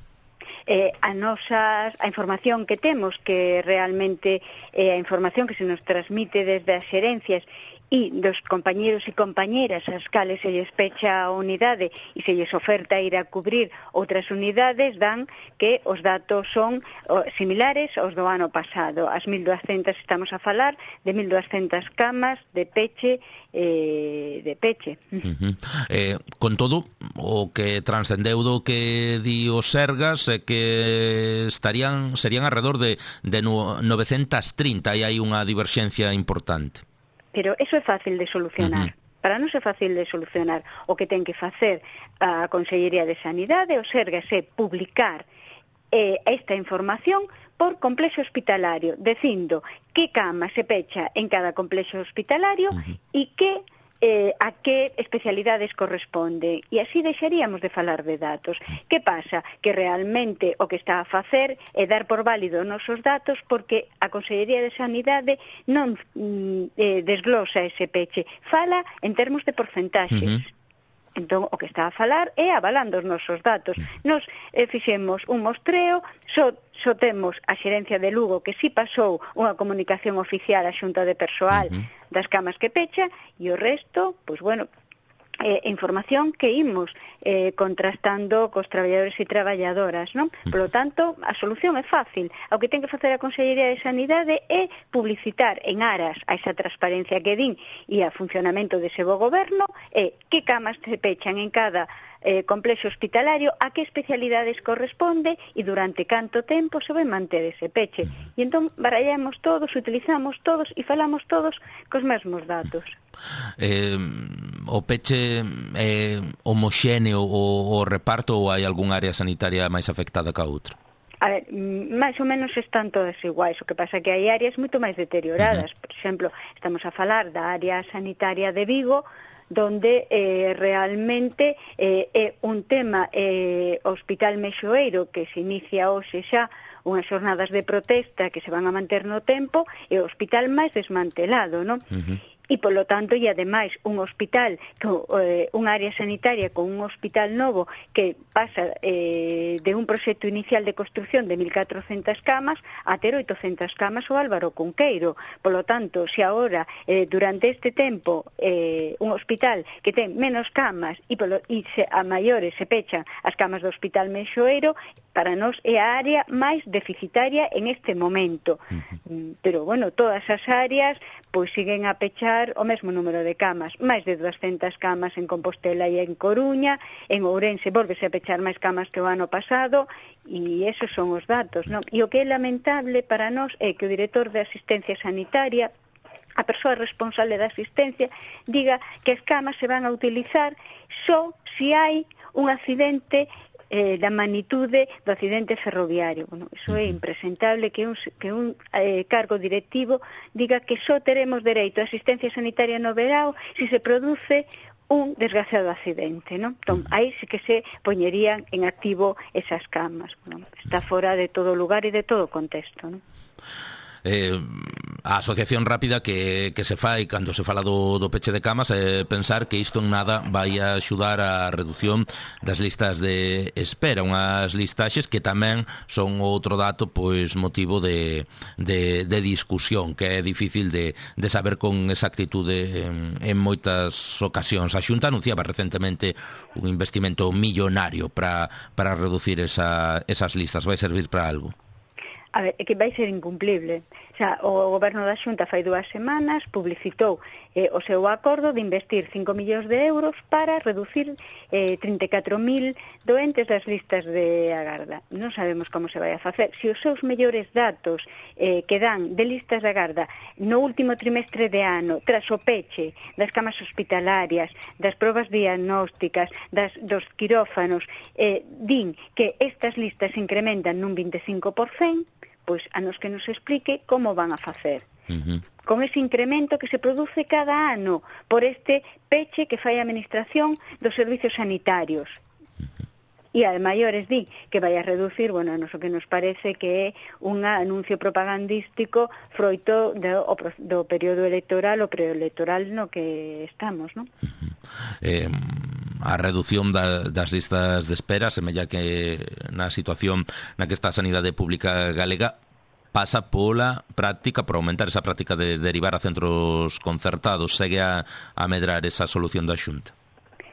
Eh, a nosa a información que temos, que realmente é eh, a información que se nos transmite desde as xerencias e dos compañeros e compañeras as cales se lles pecha a unidade e se lles oferta ir a cubrir outras unidades, dan que os datos son oh, similares aos do ano pasado. As mil duascentas estamos a falar de mil duascentas camas de peche eh, de peche. Uh-huh. Eh, con todo, o que transcendeu do que di o Sergas é que estarían serían alrededor de, de novecentas trinta, e hai unha diverxencia importante. Pero eso é fácil de solucionar. Uh-huh. Para non é fácil de solucionar. O que ten que facer a Consellería de Sanidade, o Sergas, é publicar eh, esta información por complexo hospitalario, dicindo que cama se pecha en cada complexo hospitalario uh-huh. e que eh, a que especialidades corresponde, e así deixaríamos de falar de datos. Que pasa? Que realmente o que está a facer é dar por válido os nosos datos, porque a Consellería de Sanidade non eh, desglosa ese peche, fala en termos de porcentaxes. Uh-huh. Entón, o que está a falar é avalando os nosos datos. Nos eh, fixemos un mostreo, só, só temos a xerencia de Lugo que si pasou unha comunicación oficial á Xunta de Persoal uh-huh. das camas que pecha, e o resto, pois bueno, eh, información que imos eh, contrastando cos traballadores e traballadoras, non? Por lo tanto, a solución é fácil. O que ten que facer a Consellería de Sanidade é publicitar en aras a esa transparencia que din e a funcionamento dese bo goberno, e que camas se pechan en cada eh, complexo hospitalario, a que especialidades corresponde e durante canto tempo se vai manter ese peche. E entón barallamos todos, utilizamos todos e falamos todos cos mesmos datos. Eh, o peche é homoxéneo o, o reparto, ou hai algún área sanitaria máis afectada ca outra? A ver, máis ou menos están todas iguais, o que pasa que hai áreas moito máis deterioradas. Uh-huh. Por exemplo, estamos a falar da área sanitaria de Vigo, donde eh, realmente eh, é un tema eh, Hospital Meixoeiro, que se inicia hoxe xa unhas xornadas de protesta que se van a manter no tempo, e o hospital máis desmantelado, non? Uh-huh. E, polo tanto, e ademais, un hospital, eh, unha área sanitaria con un hospital novo que pasa eh, de un proxecto inicial de construcción de mil catrocentas camas a ter oitocentas camas o Álvaro Cunqueiro. Polo tanto, se agora, eh, durante este tempo, eh, un hospital que ten menos camas e, polo, e se, a maiores se pechan as camas do Hospital Meixoeiro, para nós é a área máis deficitaria en este momento. Uh-huh. Pero, bueno, todas as áreas pois siguen a pechar o mesmo número de camas, máis de duascentas camas en Compostela e en Coruña, en Ourense volvese a pechar máis camas que o ano pasado, e esos son os datos, non? E o que é lamentable para nós é que o director de asistencia sanitaria, a persoa responsable da asistencia, diga que as camas se van a utilizar só se hai un accidente Eh, da magnitude do accidente ferroviario. Bueno, iso é impresentable que un, que un eh, cargo directivo diga que só teremos dereito a asistencia sanitaria no verao se se produce un desgraciado accidente, non? Entón, aí sí que se poñerían en activo esas camas. Bueno, está fora de todo lugar e de todo contexto, non? Eh, a asociación rápida que, que se fai cando se fala do, do peche de camas é pensar que isto en nada vai a axudar a reducción das listas de espera, unhas listaxes que tamén son outro dato pois motivo de, de, de discusión, que é difícil de, de saber con exactitude en, en moitas ocasións. A Xunta anunciaba recentemente un investimento millonario para, para reducir esa, esas listas. Vai servir para algo? A ver, é que vai ser incumplible. xa, o Goberno da Xunta fai dúas semanas publicitou eh, o seu acordo de investir cinco millóns de euros para reducir eh, trinta e catro mil doentes das listas de agarda. Non sabemos como se vai a facer. Se os seus mellores datos eh, que dan de listas de agarda no último trimestre de ano, tras o peche das camas hospitalarias, das probas diagnósticas, das, dos quirófanos, eh, din que estas listas se incrementan nun vinte e cinco por cento, pois a nos que nos explique como van a facer. Uh-huh. Con ese incremento que se produce cada ano por este peche que fai a Administración dos servicios sanitarios. Uh-huh. E a maiores di que vai a reducir, bueno, a nos o que nos parece que é un anuncio propagandístico froito do, do período electoral ou preelectoral no que estamos, non? Uh-huh. Eh... A reducción da, das listas de espera semella que na situación na que está a sanidade pública galega pasa pola práctica, por aumentar esa práctica de derivar a centros concertados. Segue a, a medrar esa solución da Xunta?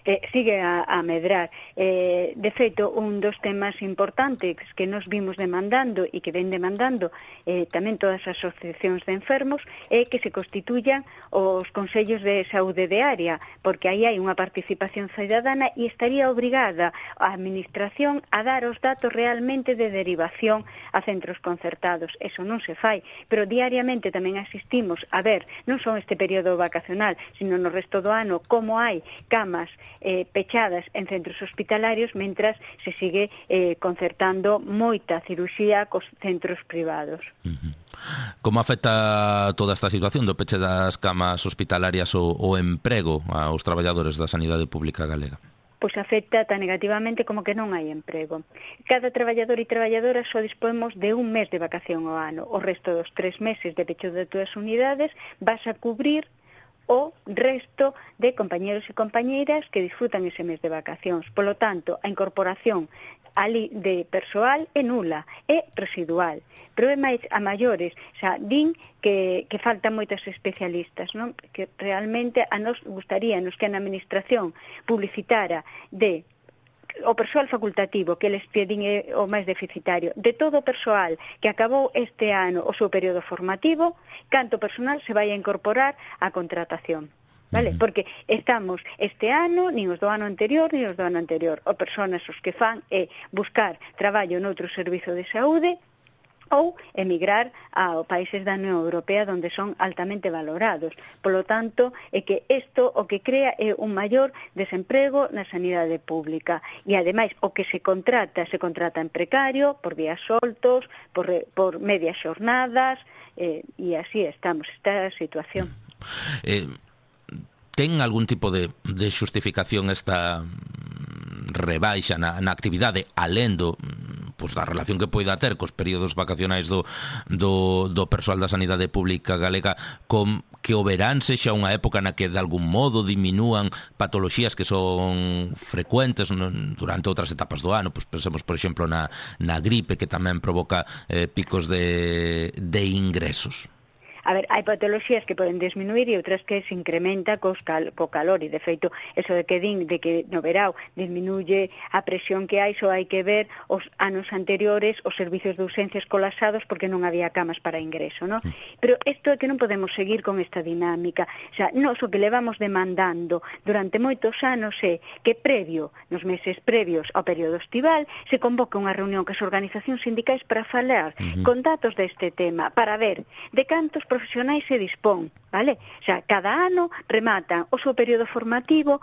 Eh, sigue a, a medrar. Eh, de feito, un dos temas importantes que nos vimos demandando e que ven demandando eh, tamén todas as asociacións de enfermos é que se constituyan os consellos de saúde de área, porque aí hai unha participación cidadana e estaría obrigada a Administración a dar os datos realmente de derivación a centros concertados. Eso non se fai, pero diariamente tamén asistimos a ver, non só este período vacacional, sino no resto do ano, como hai camas Eh, pechadas en centros hospitalarios mentras se sigue eh, concertando moita cirurxía cos centros privados. Uh-huh. Como afecta toda esta situación do peche das camas hospitalarias o, o emprego aos traballadores da sanidade pública galega? Pois afecta tan negativamente como que non hai emprego. Cada traballador e traballadora só dispomos de un mes de vacación ao ano. O resto dos tres meses de pecho de túas unidades vas a cubrir o resto de compañeros e compañeiras que disfrutan ese mes de vacacións. Polo tanto, a incorporación ali de persoal é nula, é residual. Pero é máis a maiores, xa, din que, que faltan moitas especialistas, non? Que realmente a nos gustaríanos que a Administración publicitara de o persoal facultativo, que eles pedin é o máis deficitario, de todo o persoal que acabou este ano o seu período formativo, canto personal se vai a incorporar á contratación. Vale? Porque estamos este ano, nin os do ano anterior, nin os do ano anterior. O personas os que fan é buscar traballo noutro servizo de saúde ou emigrar a países da Unión Europea onde son altamente valorados. Polo tanto, é que isto o que crea é un maior desemprego na sanidade pública. E, ademais, o que se contrata, se contrata en precario, por días soltos, por, por medias xornadas, eh, e así estamos, esta situación. Eh, ten algún tipo de, de xustificación esta rebaixa na, na actividade alén do pois da relación que poida ter cos períodos vacacionais do, do, do persoal da sanidade pública galega, con que o verán sexa unha época na que de algún modo diminúan patoloxías que son frecuentes non, durante outras etapas do ano, pois pensemos por exemplo na, na gripe, que tamén provoca eh, picos de, de ingresos. A ver, hai patoloxías que poden disminuir e outras que se incrementa cos cal, co calor, e de feito, eso de que din de que no verao disminuye a presión que hai, só hai que ver os anos anteriores os servicios de urxencias colapsados porque non había camas para ingreso, ¿no? Pero isto é que non podemos seguir con esta dinámica. O sea, nós o que levamos demandando durante moitos anos é que previo, nos meses previos ao período estival, se convoque unha reunión que as organizacións sindicais para falar uh-huh. con datos deste tema, para ver de cantos profesionais se dispón, vale? O sea, cada ano rematan o seu período formativo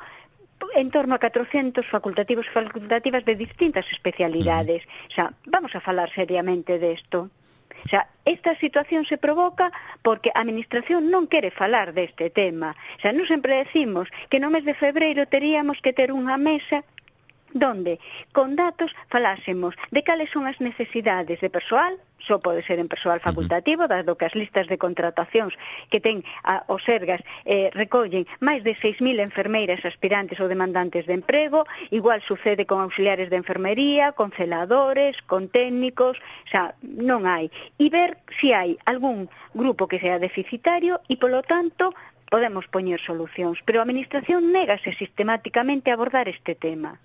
en torno a catrocentos facultativos e facultativas de distintas especialidades. O sea, vamos a falar seriamente desto. O sea, esta situación se provoca porque a Administración non quere falar deste tema. O sea, non sempre decimos que no mes de febreiro teríamos que ter unha mesa donde, con datos, falásemos de cales son as necesidades de persoal, só pode ser en persoal facultativo, dado que as listas de contratacións que ten a, os Sergas eh, recollen máis de seis mil enfermeiras aspirantes ou demandantes de emprego, igual sucede con auxiliares de enfermería, con celadores, con técnicos, o sea, non hai. E ver se hai algún grupo que sea deficitario e, polo tanto, podemos poñer solucións. Pero a Administración négase sistemáticamente a abordar este tema.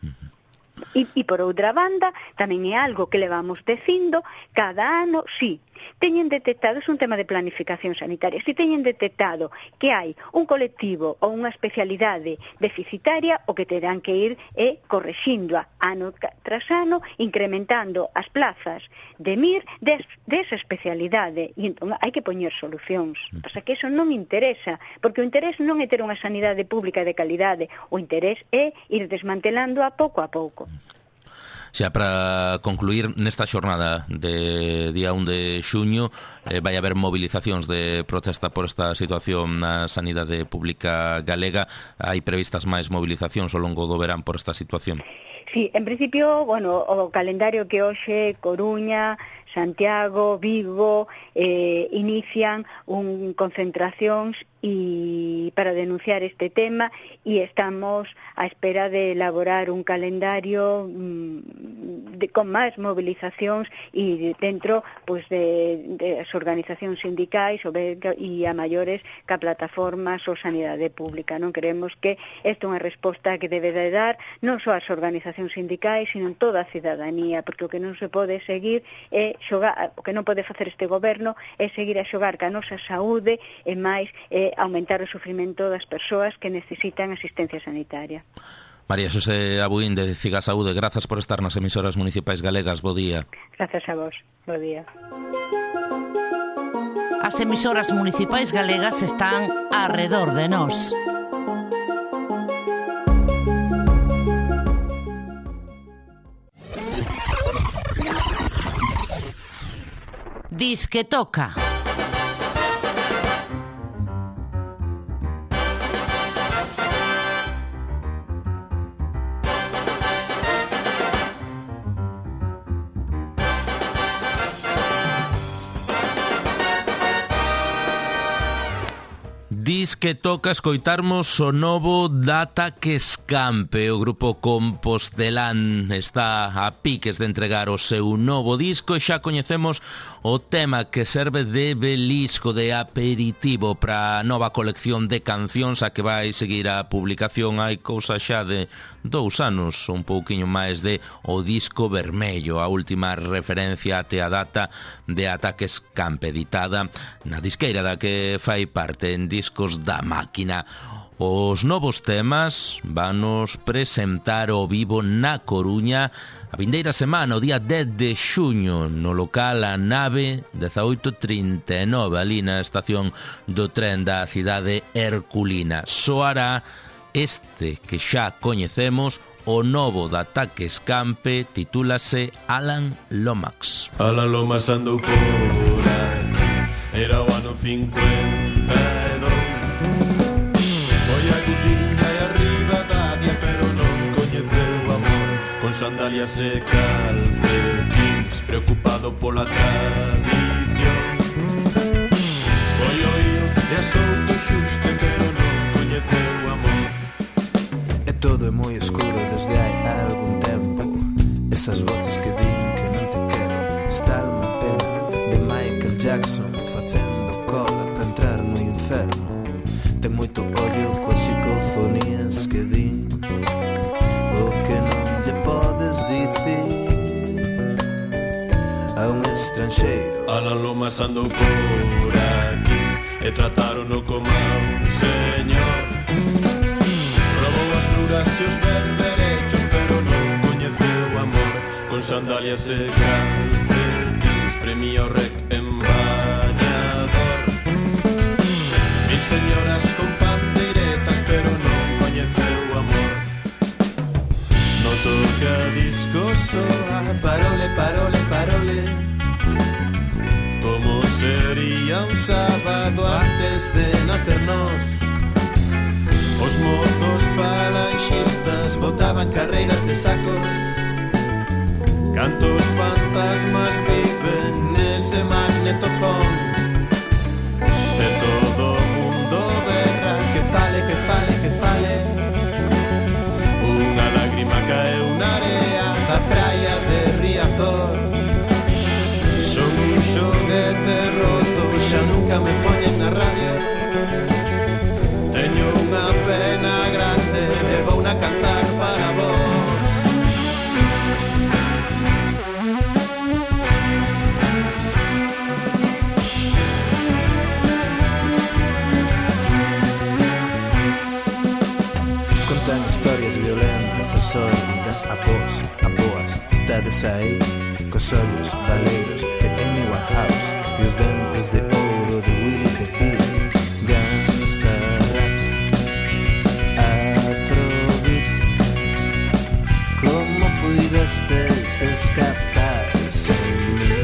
E, e por outra banda, tamén é algo que levamos dicindo cada ano, sí, teñen detectado, é un tema de planificación sanitaria, se teñen detectado que hai un colectivo ou unha especialidade deficitaria, o que terán que ir é correxíndoa ano tras ano, incrementando as plazas de M I R des, desa especialidade, e entón hai que poñer solucións. Pasa que eso non interesa, porque o interés non é ter unha sanidade pública de calidade, o interés é ir desmantelando a pouco a pouco. Xa para concluir, nesta xornada de día un de xuño eh, vai haber movilizacións de protesta por esta situación na sanidade pública galega. Hai previstas máis movilizacións ao longo do verán por esta situación? Sí, en principio, bueno, o calendario que hoxe Coruña, Santiago, Vigo eh, inician un concentracións y para denunciar este tema, y estamos a espera de elaborar un calendario mmm, de, con máis movilizacións e dentro pues, de, de as organizacións sindicais e a maiores que a plataformas ou sanidade pública. Non creemos que esta é unha resposta que debe de dar non só as organizacións sindicais, sino toda a cidadanía, porque o que non se pode seguir é xogar, o que non pode facer este goberno é seguir a xogar ca nosa saúde e máis eh, aumentar o sufrimento das persoas que necesitan asistencia sanitaria. María Xosé Abuín de Ciga Saúde, grazas por estar nas emisoras municipais galegas. Bo día. Grazas a vos. Bo día. As emisoras municipais galegas están arredor de nós. Dis que toca. Dis que toca escoitarmos o novo Data que Escampe. O grupo compostelán está a piques de entregar o seu novo disco e xa coñecemos o tema que serve de belisco, de aperitivo para a nova colección de cancións a que vai seguir a publicación hai cousa xa de dous anos, un pouquiño máis de O Disco Vermello, a última referencia até a data de Ataque Escampe, editada na disqueira da que fai parte, en Discos da Máquina. Os novos temas vanos presentar ao vivo na Coruña a vindeira semana, o día dez de xuño, no local A Nave dezaoito trinta e nove, ali na estación do tren da cidade herculina. Soará este que xa coñecemos, o novo de Ataque Escampe, titúlase Alan Lomax. Alan Lomax andou por aquí, era o ano cincuenta e dous. Foi a Gudiña e a Ribadavia, pero non coñeceu o amor. Con sandalias e calcetins, preocupado pola tradición. Foi oír e a souto xuste, pero non coñeceu o amor. E todo é moi escuro desde hai algún tempo. Esas voces que din que non te quero. Está unha pena de Michael Jackson facendo cola para entrar no inferno. Ten moito ollo coas psicofonías que din o que non lle podes dicir a un estranxeiro. Alan Lomax andou por aquí e tratarono como a un señor. Probou as duras e os berberechos, pero non coñeceu o amor. Con sandalias e calcetins, premia o rec en bañador. Mil señoras con pandeiretas, pero non coñeceu o amor. No toca disco soa, parole, parole, parole. Como sería un sábado antes de nacer nós. Os mozos falanxistas botaban carreiras de sacos. Cantos fantasmas viven nese magnetofón. De todo o mundo berra, que fale, que fale, que fale. Unha lágrima caeu na area da praia de Riazor. Son un xoguete roto, xa nunca me poñen na radio. Teño unha pena grande e contan historias violentas e sórdidas a vos, a boas. Estades aí, cos ollos baleiros de Amy Winehouse e os dentes de ouro de Willie DeVille. Gangsta rap, afrobeat. Como puidestes escapar sem mí?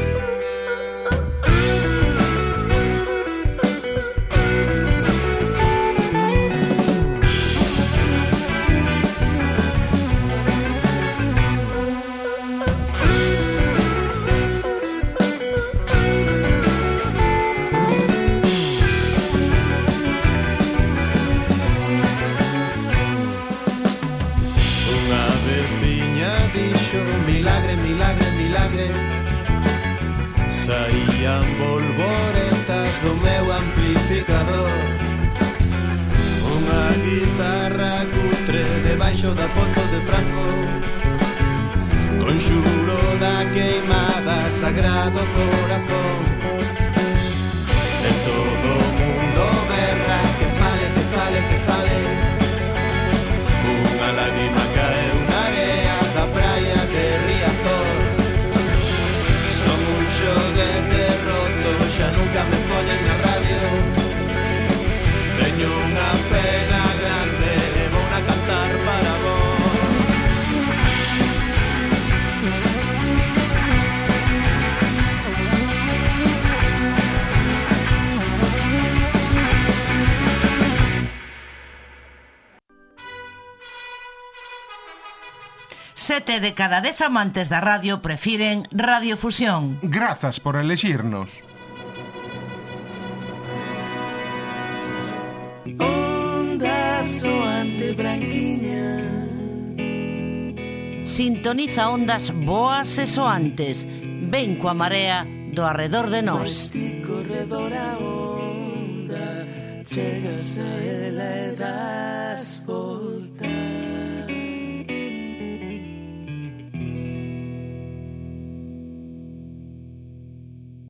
Saían bolboretas do meu amplificador, unha guitarra cutre debaixo da foto de Franco, conxuro da queimada sagrado corazón. E todo o mundo berra que fale, que fale, que fale. Unha lágrima caeu na area da praia de Riazor. Xoguete roto, xa nunca me poñen na radio. Teño unha pena grande e vou a cantar para vos. Sete de cada dez amantes da radio prefiren Radiofusión. Grazas por elexirnos. Onda soante branquiña. Sintoniza ondas boas e soantes. Ven coa marea do arredor de nós. Corredor a onda, chegas a ela e das volta.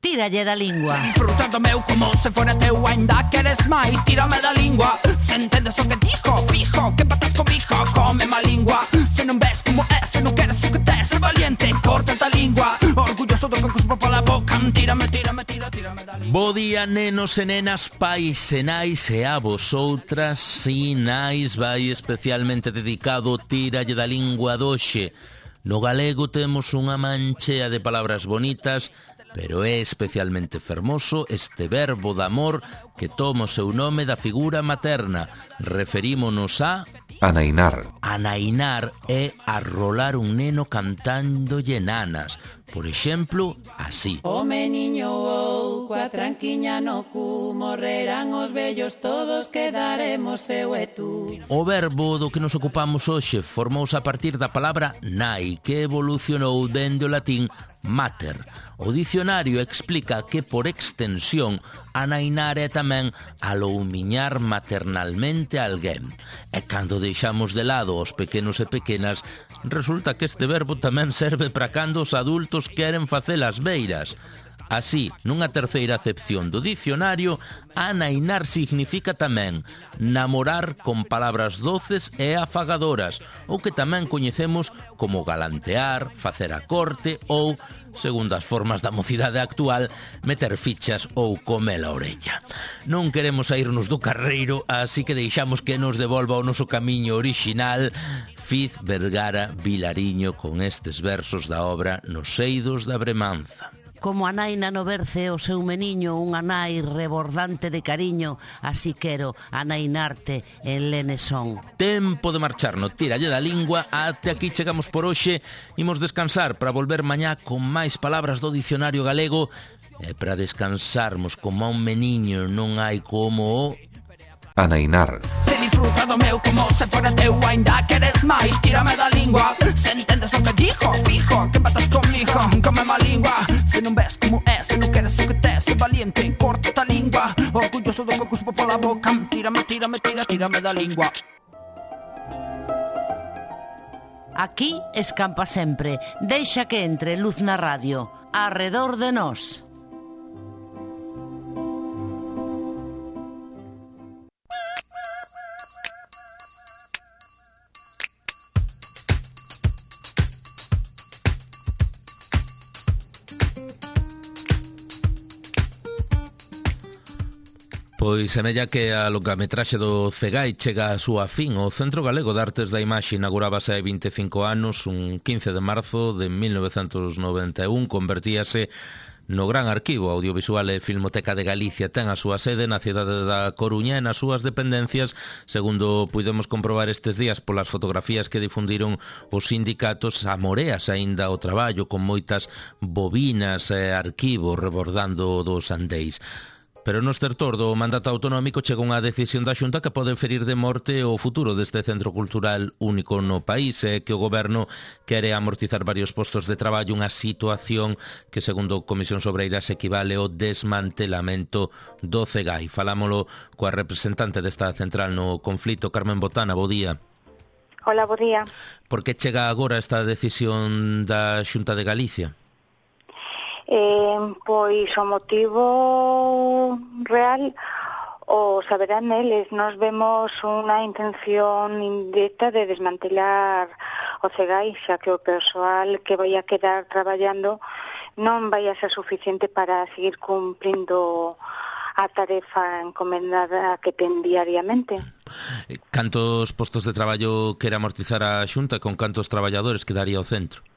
Tíralle da lingua. Disfrutando meu como se fora teu, ainda queres máis, tírame da lingua. Se entendes o que dijo, fijo, que patas comigo, come má lingua. Se non ves como é, se non queres o que tes, ser valiente, corta a lingua. Orgulloso do que cuspo pola boca, tírame, tírame, tira, tírame da lingua. Bo día, nenos e nenas, pais e nais e a vosotras. Si, nais, vai especialmente dedicado Tíralle da lingua doxe. No galego temos unha manchea de palabras bonitas, pero é especialmente fermoso este verbo de amor que toma o seu nome da figura materna. Referímonos a... Anainar. Anainar é arrolar un neno cantándolle nanas. Por exemplo, así. O meniño ou coa tranquiña no cu, morrerán os vellos todos, quedaremos eu e tú. O verbo do que nos ocupamos hoxe formouse a partir da palabra nai, que evolucionou dende o latín mater. O dicionario explica que, por extensión, anainar é tamén aloumiñar maternalmente a alguén. E cando deixamos de lado os pequenos e pequenas, resulta que este verbo tamén serve para cando os adultos queren facer as beiras. Así, nunha terceira acepción do dicionario, anainar significa tamén namorar con palabras doces e afagadoras, ou que tamén coñecemos como galantear, facer a corte ou, segundo as formas da mocidade actual, meter fichas ou comer a orella. Non queremos saírnos do carreiro, así que deixamos que nos devolva o noso camiño orixinal Fiz Vergara Vilariño con estes versos da obra Nos eidos da Bremanza. Como a nai na no berce o seu meniño, unha nai rebordante de cariño, así quero anainarte en lenesón. Tempo de marcharnos, tíralle da lingua. Até aquí chegamos por hoxe. Imos descansar para volver mañá con máis palabras do dicionario galego. E para descansarmos como a un meniño non hai como o... Anainar. Se disfruta do meu como se fora teu, ainda queres máis, tírame da lingua. Se entendes o que dijo, fijo, que patas comigo, come má lingua. Se non ves como é, se non queres o que tes, ser valiente, corta a lingua. Orgulloso do que cuspo pola boca, tírame, tírame, tira, tírame da lingua. Aquí escampa sempre, deixa que entre luz na radio, arredor de nós. Pois semella que a longametraxe do Cegai chega a súa fin. O Centro Galego de Artes da Imaxe inaugurábase hai vinte e cinco anos, un quince de marzo de mil novecentos noventa e un, convertíase no gran arquivo audiovisual e Filmoteca de Galicia. Ten a súa sede na cidade da Coruña e nas súas dependencias, segundo puidemos comprobar estes días polas fotografías que difundiron os sindicatos, amoreas aínda o traballo con moitas bobinas e arquivos rebordando dos andeis. Pero no estertor do mandato autonómico chega unha decisión da Xunta que pode ferir de morte o futuro deste centro cultural único no país, e que o Goberno quere amortizar varios postos de traballo, unha situación que, segundo Comisións Obreiras, equivale ao desmantelamento do Cegai. Falámolo coa representante desta central no conflito, Carmen Botana. Bo día. Hola, bo día. Por que chega agora esta decisión da Xunta de Galicia? Eh, pois o motivo real o saberán eles. Nos vemos unha intención indirecta de desmantelar o Cegai, xa que o persoal que vai a quedar traballando non vai a ser suficiente para seguir cumprindo a tarefa encomendada que ten diariamente. Cantos postos de traballo quere amortizar a Xunta? Con cantos traballadores quedaría o centro?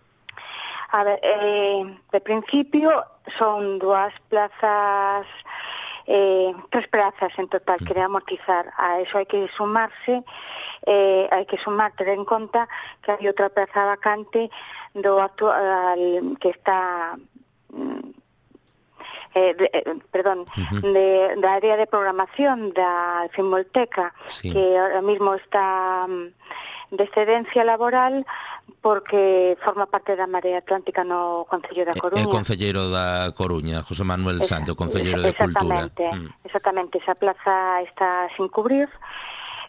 A ver, eh, de principio son dúas plazas, eh, tres plazas en total que de amortizar. A eso hai que sumarse, eh, hai que sumar, ter en conta que hai outra plaza vacante do actual que está... Eh, de, eh, perdón, uh-huh. de, da área de programación da Filmoteca, sí, que ahora mismo está um, de excedencia laboral porque forma parte da Marea Atlántica no Concello da Coruña. É concelleiro da Coruña, José Manuel Santo, concelleiro de Cultura. Exactamente, mm. exactamente, esa plaza está sin cubrir,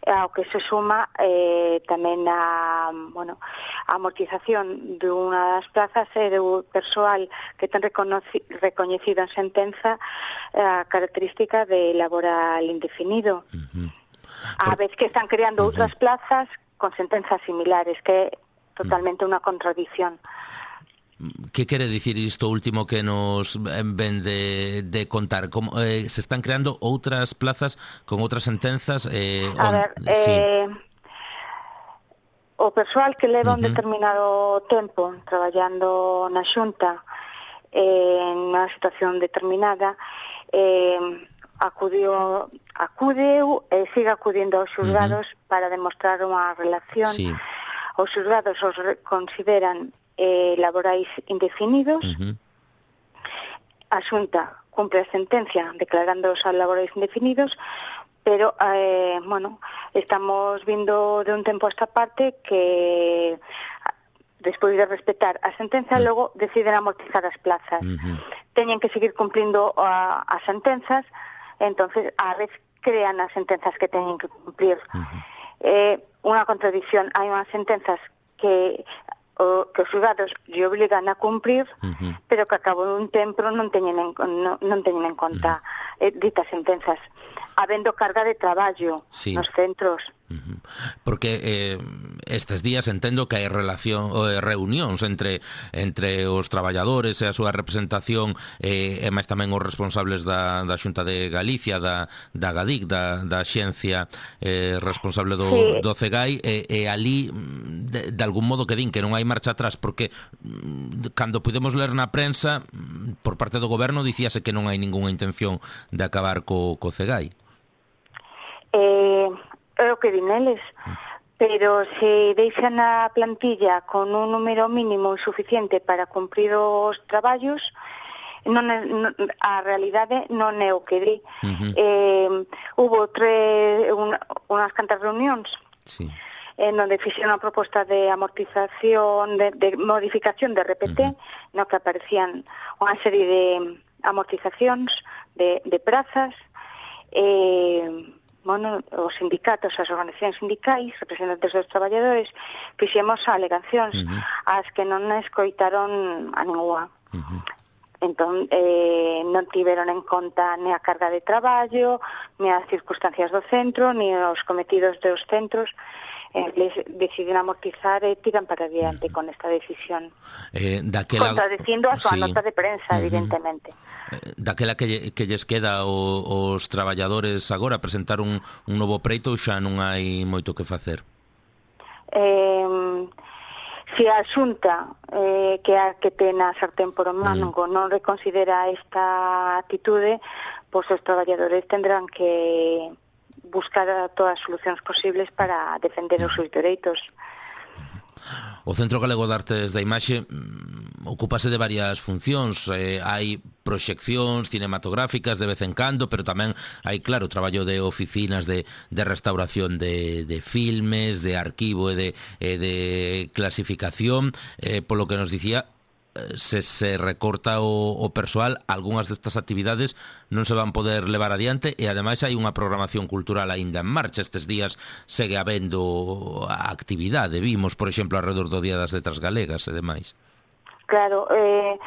ao que se suma eh, tamén a, bueno, a amortización de unha das plazas e do persoal que ten recoñecido en sentenza a característica de laboral indefinido. Uh-huh. A vez que están creando uh-huh. outras plazas con sentenzas similares, que é totalmente unha contradición. Que quere dicir isto último que nos ven de, de contar? Como, eh, se están creando outras plazas con outras sentenzas? Eh, a on, ver, sí. eh, o persoal que leva uh-huh. un determinado tempo traballando na Xunta eh, en unha situación determinada, eh, acudiu, acudeu e sigue acudindo aos xulgados uh-huh. para demostrar unha relación. Sí. Os xulgados os consideran eh, laborais indefinidos. Uh-huh. A Xunta cumpre a sentencia declarando os laborais indefinidos, pero, eh, bueno, estamos vindo de un tempo a esta parte que, despois de respetar a sentenza, uh-huh. logo deciden amortizar as plazas. Uh-huh. Teñen que seguir cumplindo a, as sentenzas, entonces a vez crean as sentenzas que teñen que cumplir. Uh-huh. Eh, unha contradicción, hai unhas sentenzas que o, que os xulgados lle obligan a cumprir, uh-huh. pero que a cabo dun tempo non teñen en, non, non teñen en conta uh-huh. eh, ditas sentenzas, habendo carga de traballo sí. nos centros. Uh-huh. Porque eh, estes días entendo que hai relación eh, reunións entre entre os traballadores e a súa representación eh, e máis tamén os responsables da, da Xunta de Galicia, da, da GADIC, da, da xencia eh, responsable do, sí. do Cegai, e, e ali de, de algún modo que din que non hai marcha atrás, porque cando pudemos ler na prensa por parte do Goberno dicíase que non hai ningunha intención de acabar co, co Cegai. Eh... É o que din eles, pero se deixan a plantilla con un número mínimo insuficiente para cumprir os traballos, non é, non, a realidade non é o que di. Uh-huh. Eh, hubo tres, una, unhas cantas reunións sí. en donde fixeron a proposta de amortización, de, de modificación de R P T, uh-huh. no que aparecían unha serie de amortizacións de, de prazas, eh, bueno, os sindicatos, as organizacións sindicais, representantes dos traballadores, fixemos alegacións uh-huh. as que non escoitaron a ninguna. Uh-huh. Entón, eh, non tiveron en conta ni a carga de traballo, ni as circunstancias do centro, ni os cometidos dos centros. Eh, les deciden amortizar e tiran para adiante con esta decisión. Eh, daquela... Contradicindo a súa sí. nota de prensa, Uh-huh. evidentemente. Eh, daquela que, lle- que lles queda o, os traballadores agora presentar un, un novo preito, xa non hai moito que facer. Eh, se a Xunta eh, que a que ten a sartén por o mango mm. non reconsidera esta atitude, pois os traballadores tendrán que buscar todas as solucións posibles para defender os seus dereitos. O Centro Galego de Artes da Imaxe mm, ocúpase de varias funcións. Eh, hai proxeccións cinematográficas de vez en cando, pero tamén hai, claro, traballo de oficinas de, de restauración de, de filmes, de arquivo e de, e de clasificación. Eh, polo que nos dicía, se se recorta o, o persoal, algunhas destas actividades non se van poder levar adiante, e ademais hai unha programación cultural aínda en marcha. Estes días segue habendo actividade, vimos, por exemplo, alrededor do Día das Letras Galegas e demais. Claro, eh,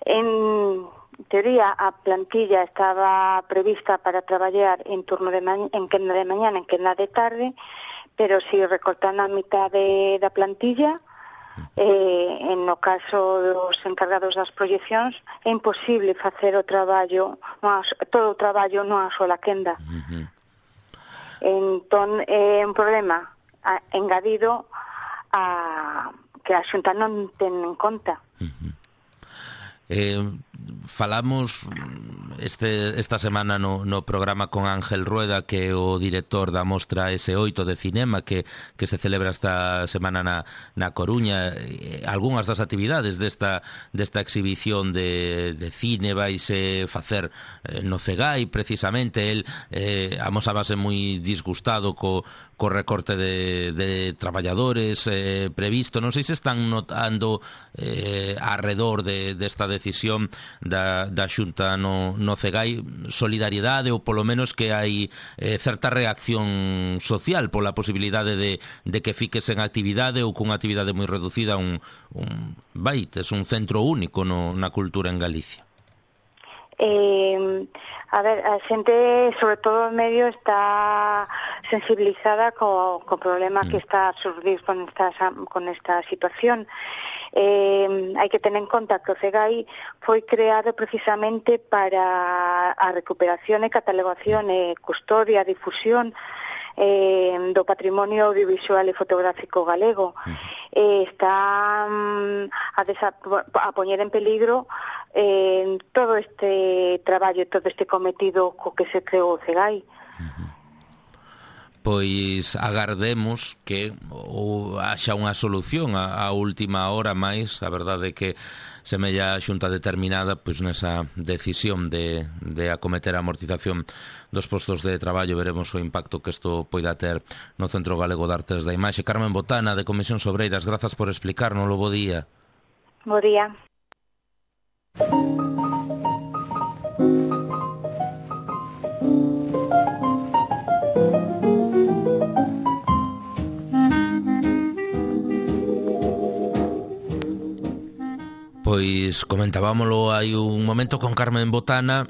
en teoría a plantilla estaba prevista para traballar en turno de ma- en quenda de mañana, en quenda de tarde, pero si recortan a mitad de, da plantilla, Eh, en no caso dos encargados das proyeccións é imposible facer o traballo, todo o traballo nunha sola quenda. Uh-huh. Entón é un problema a, engadido a que a Xunta non ten en conta. Uh-huh. Eh, falamos este, esta semana no, no programa con Ángel Rueda, que é o director da mostra ese oito de cinema que, que se celebra esta semana na, na Coruña. Eh, algunhas das actividades desta, desta exhibición de, de cine vaise facer eh, no Cegai, precisamente. El eh, amosábase moi disgustado co, co recorte de, de traballadores eh, previsto. Non sei se están notando eh, arredor de, desta decisión da, da Xunta no, no Cegai solidariedade, ou polo menos que hai eh, certa reacción social pola posibilidade de, de que fiques en actividade ou cunha actividade moi reducida un, un vai, tes un centro único no, na cultura en Galicia. Eh, a ver, a xente, sobre todo o medio, está sensibilizada co, co problema mm. que está a surgir con esta, con esta situación. Eh, hai que tener en conta que o Cegai foi creado precisamente para a recuperación e catalogación e custodia, difusión eh, do patrimonio audiovisual e fotográfico galego. Eh, está um, a, desa, a poñer en peligro eh, todo este traballo, todo este cometido co que se creou o Cegai. Pois agardemos que ou haxa unha solución a, a última hora máis. A verdade é que semella a Xunta determinada pois nesa decisión de, de acometer a amortización dos postos de traballo. Veremos o impacto que isto poida ter no Centro Galego de Artes da Imaxe. Carmen Botana, de Comisións Obreiras, grazas por explicarnos. Bo día. Bo día. Pois comentábamolo hai un momento con Carmen Botana.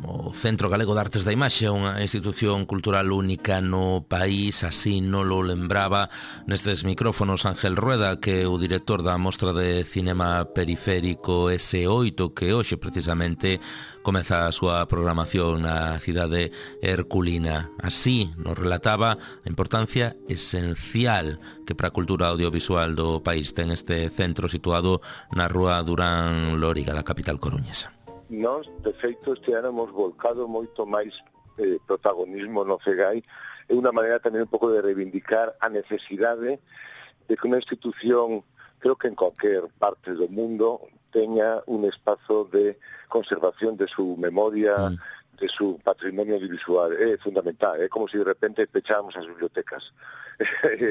O Centro Galego de Artes da Imaxe é unha institución cultural única no país, así non lo lembraba nestes micrófonos Ángel Rueda, que é o director da mostra de cinema periférico ese oito, que hoxe precisamente comeza a súa programación na cidade herculina. Así nos relataba a importancia esencial que para a cultura audiovisual do país ten este centro situado na rúa Durán Lóriga da capital coruñesa. Nós, de feito, este ano hemos volcado moito máis eh, protagonismo no Cegai. É unha maneira tamén un pouco de reivindicar a necesidade de que unha institución, creo que en cualquier parte do mundo, teña un espazo de conservación de su memoria, mm. de su patrimonio audiovisual. É fundamental, é como se de repente pecháramos as bibliotecas.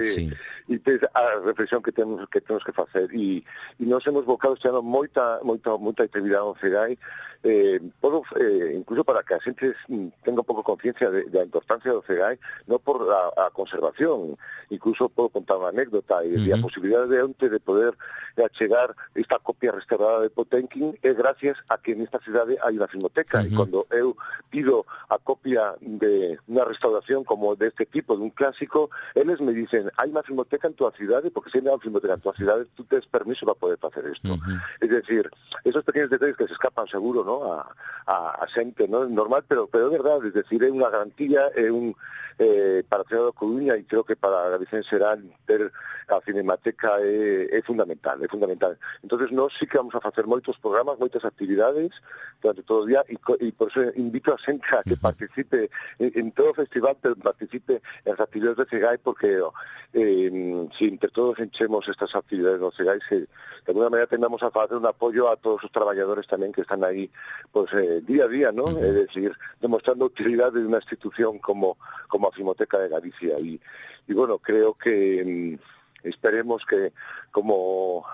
Sí. E tes a reflexión que temos que temos que facer e, e nós hemos volcado este ano moita moita moita actividade no CEGAI, eh, podo, eh, incluso para que a xente tenga un pouco conciencia de, de a importancia do CEGAI, non por a, a conservación, incluso podo contar unha anécdota e, uh-huh. e a posibilidade de onte de poder achegar esta copia restaurada de Potenkin é gracias a que nesta cidade hai unha filmoteca, uh-huh. e cando eu pido a copia de unha restauración como deste tipo, de un clásico, eles me dicen, hai unha filmoteca en tua cidade, porque se hai unha filmoteca en tua cidade, tú tens permiso para poder facer isto. Uh-huh. Es decir, esos pequenos detalles que se escapan seguro, ¿no?, a, a, a xente, ¿no?, normal, pero pero é verdade, es decir, é unha garantía, é un eh, para a cidade da Coruña, e creo que para Galicia en xeral ter a Cinemateca é, é fundamental, é fundamental. Entonces nós sí que vamos a facer moitos programas, moitas actividades durante todo o día, e, e por eso invito a xente a que participe en, en todo o festival, pero participe en as actividades de CEGAI, porque eh, si entre todos enchemos estas actividades no CEGAI, se, de alguna manera tendamos a facer un apoyo a todos os traballadores tamén que están aí pues, eh, día a día, ¿no? Uh-huh. Es decir, demostrando utilidade de unha institución como, como a Filmoteca de Galicia. Y, y bueno, creo que eh, esperemos que como...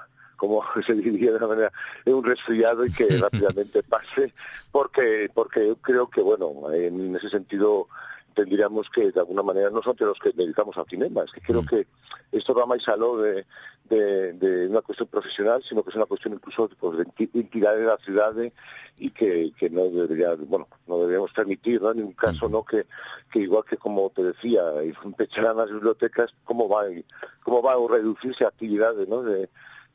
como se diría de una manera, é un resfriado e que rápidamente pase, porque porque eu creo que, bueno, en ese sentido tendríamos que, de alguna manera, non son los que dedicamos ao cinema, es que creo mm. que isto va máis aló de, de, de unha cuestión profesional, sino que é unha cuestión incluso pues, de entidade da cidade e que, que non debería, bueno, non deberíamos permitir, ¿no?, en ningún caso, mm. ¿no?, que, que igual que como te decía, pecharán as bibliotecas, como vai, como vai reducirse a actividade, ¿no?, de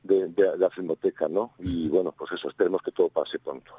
De, de, de la filmoteca, ¿no? Y bueno, pues eso, esperemos que todo pase pronto.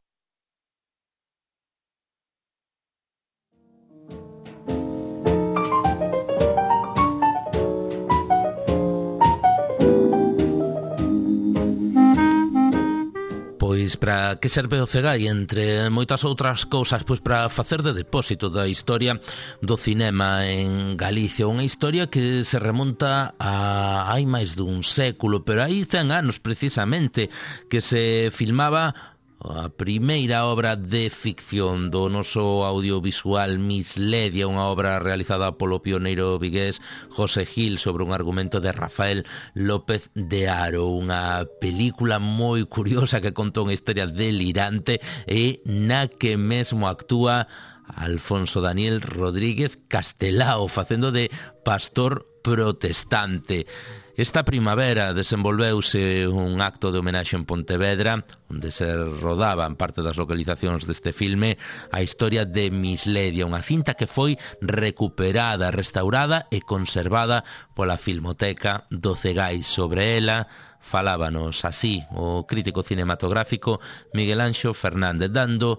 Pois para que serve o CEGAI, entre moitas outras cousas, pois para facer de depósito da historia do cinema en Galicia, unha historia que se remonta a hai máis dun século, pero hai cen anos precisamente que se filmaba a primeira obra de ficción do noso audiovisual Misledia, unha obra realizada polo pioneiro vigués José Gil sobre un argumento de Rafael López de Haro, unha película moi curiosa que conta unha historia delirante e na que mesmo actúa Alfonso Daniel Rodríguez Castelao facendo de pastor protestante. Esta primavera desenvolveuse un acto de homenaxe en Pontevedra onde se rodaban parte das localizacións deste filme a historia de Misledia, unha cinta que foi recuperada, restaurada e conservada pola Filmoteca do CEGAI. Sobre ela falábanos así o crítico cinematográfico Miguel Anxo Fernández, dando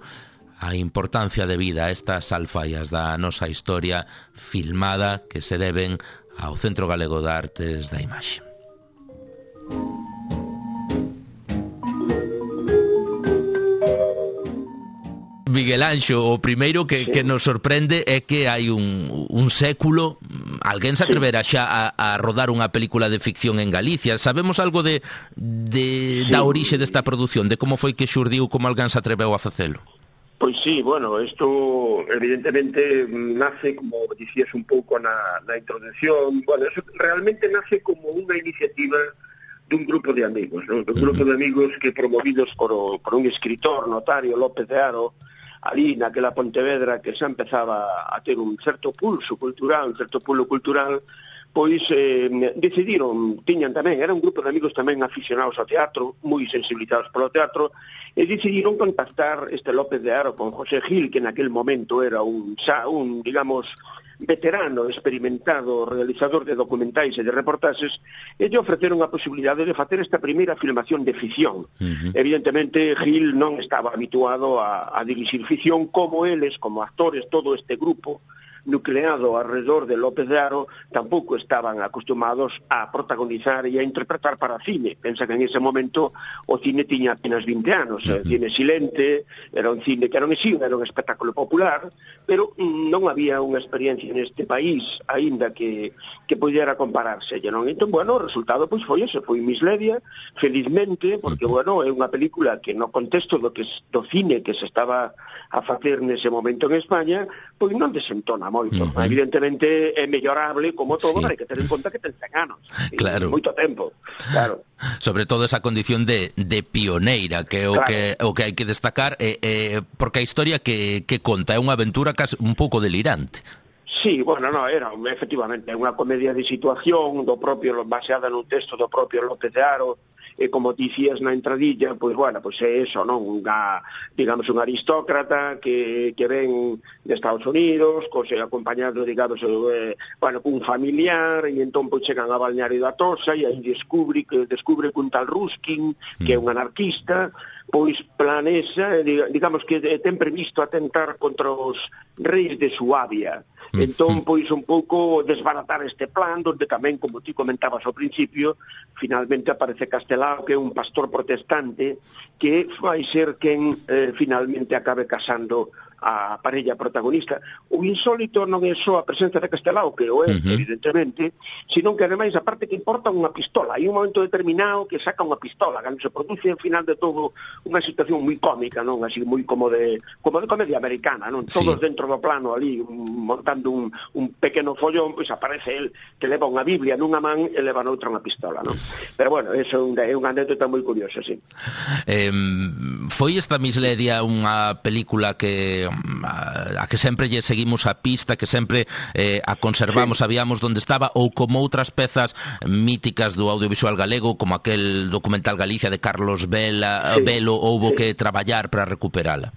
a importancia de vida a estas alfaias da nosa historia filmada que se deben ao Centro Galego de Artes da Imaxe. Miguel Anxo, o primeiro que, sí. que nos sorprende é que hai un, un século alguén se atrevera xa a, a rodar unha película de ficción en Galicia. Sabemos algo de, de sí. da orixe desta produción, de como foi que xurdiu, como alguén se atreveu a facelo? Pois sí, bueno, isto evidentemente nace, como dicías un pouco na, na introducción, bueno, eso realmente nace como unha iniciativa dun grupo de amigos, ¿no? Dun grupo de amigos que promovidos por, o, por un escritor notario, López de Haro, ali naquela Pontevedra que xa empezaba a ter un certo pulso cultural, un certo pulo cultural, pois eh, decidiron, tiñan tamén, era un grupo de amigos tamén aficionados ao teatro, moi sensibilizados polo teatro, e decidiron contactar este López de Haro con José Gil, que naquel momento era un, xa, un digamos, veterano, experimentado, realizador de documentais e de reportaxes, e lle ofreceron a posibilidade de facer esta primeira filmación de ficción. Uh-huh. Evidentemente, Gil non estaba habituado a, a dirixir ficción como eles, como actores, todo este grupo nucleado alrededor de López de Haro tampouco estaban acostumados a protagonizar e a interpretar para cine. Pensa que en ese momento o cine tiña apenas vinte anos, uh-huh. cine silente, era un cine que era un exilio, era un espectáculo popular, pero non había unha experiencia neste país aínda que, que pudiera compararse, non? Entón, bueno, o resultado pois foi ese, foi Misledia, felizmente, porque, bueno, é unha película que no contexto do que do cine que se estaba a facer nese momento en España, pois non desentona moito. Uh-huh. Evidentemente é mellorable, como todo, sí. Pero hai que ter en conta que ten cen anos. Claro. Moito tempo, claro. Sobre todo esa condición de, de pioneira, que é o, claro. que o que hai que destacar, eh, eh, porque a historia que, que conta é unha aventura casi un pouco delirante. Sí, bueno, no, era efectivamente unha comedia de situación do propio, baseada nun texto do propio López de Haro, e como dicías na entradilla, pois, bueno, pois é eso, non? Unha, digamos, un aristócrata que, que ven de Estados Unidos, cose acompañado, digamos, eh, bueno, un familiar, e entón pois chegan a Balneario da Tosa, e aí descubre que descubre que un tal Ruskin, que é un anarquista, pois planexa, digamos que ten previsto atentar contra os reis de Suabia. Entón, pois, un pouco desbaratar este plan, donde tamén, como ti comentabas ao principio, finalmente aparece Castelao, que é un pastor protestante, que vai ser quen eh, finalmente acabe casando a parella protagonista. O insólito non é só a presencia de Castelao, que o é, uh-huh. evidentemente, sino que ademais, aparte que importa unha pistola, hai un momento determinado que saca unha pistola, cando se produce ao final de todo unha situación moi cómica, non? Así moi como de como de comedia americana, non? Todos sí. Dentro do plano ali, un, montando un, un pequeno follón, pois aparece el que leva unha Biblia nunha man e leva noutra unha pistola, non? Pero bueno, eso é un, é unha anécdota moi curiosa, sí. Eh, foi esta Misledia unha película que a que sempre lle seguimos a pista, que sempre eh, a conservamos, sí. Sabíamos onde estaba, ou como outras pezas míticas do audiovisual galego, como aquel documental Galicia de Carlos Vela, sí. Velo, houbo sí. que traballar para recuperala?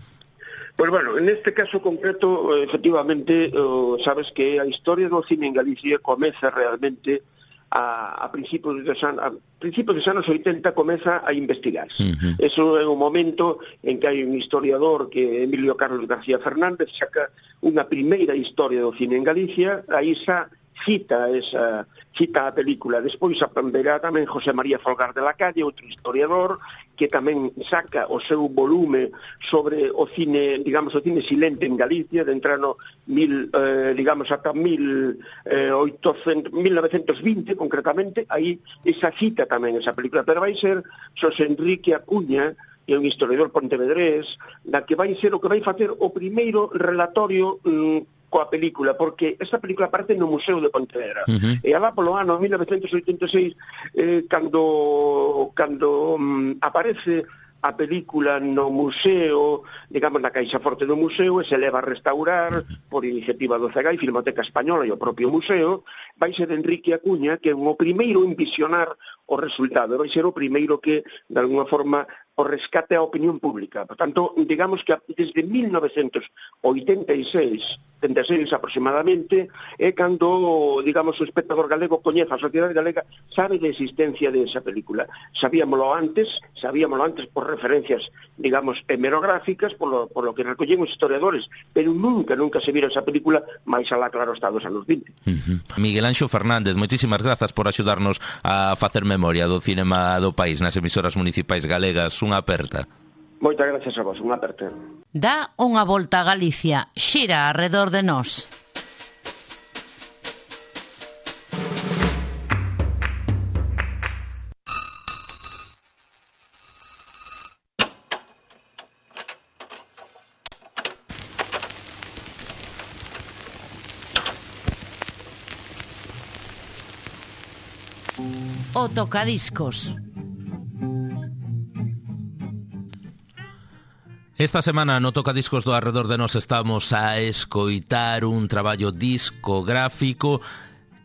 Pois bueno, en este caso concreto, efectivamente, uh, sabes que a historia do cine en Galicia comeza realmente a, a principios dos anos, a principios dos anos oitenta comeza a investigarse. Uh-huh. Eso é un momento en que hai un historiador que Emilio Carlos García Fernández saca unha primeira historia do cine en Galicia, aí xa cita esa cita a película. Despois verá tamén José María Folgar de la Calle, outro historiador, que tamén saca o seu volume sobre o cine, digamos, o cine silente en Galicia, de entrar no mil, eh, digamos, ata mil, eh, oitocentos, mil novecientos vinte, concretamente, aí esa cita tamén esa película, pero vai ser Xosé Enrique Acuña, que é un historiador pontevedrés, da que vai ser o que vai facer o primeiro relatorio mm, coa película, porque esta película aparece no Museo de Pontevedra. Uh-huh. E alá polo ano mil novecientos oitenta e seis, eh, cando, cando um, aparece a película no museo, digamos, na caixa forte do museo, e se leva a restaurar por iniciativa do C E G A I, Filmoteca Española e o propio museo, vai ser Enrique Acuña, que é o primeiro en visionar o resultado, vai ser o primeiro que, de alguna forma, o rescate a opinión pública. Por tanto, digamos que desde mil novecientos oitenta e seis, oitenta e seis aproximadamente, é cando, digamos, o espectador galego coñece a sociedade galega, sabe de existencia de esa película. Sabíamolo antes, sabíamolo antes por referencias, digamos, hemerográficas, por lo, por lo que recollen os historiadores, pero nunca, nunca se vira esa película, máis alá, claro, está dos anos vinte. Uh-huh. Miguel Anxo Fernández, moitísimas grazas por axudarnos a facer memoria do cinema do país nas emisoras municipais galegas. Unha aperta. Moitas gracias a vos, unha aperta. Dá unha volta a Galicia, xira arredor de nós. O tocadiscos. Esta semana no Tocadiscos do Arredor de Nós estamos a escoitar un traballo discográfico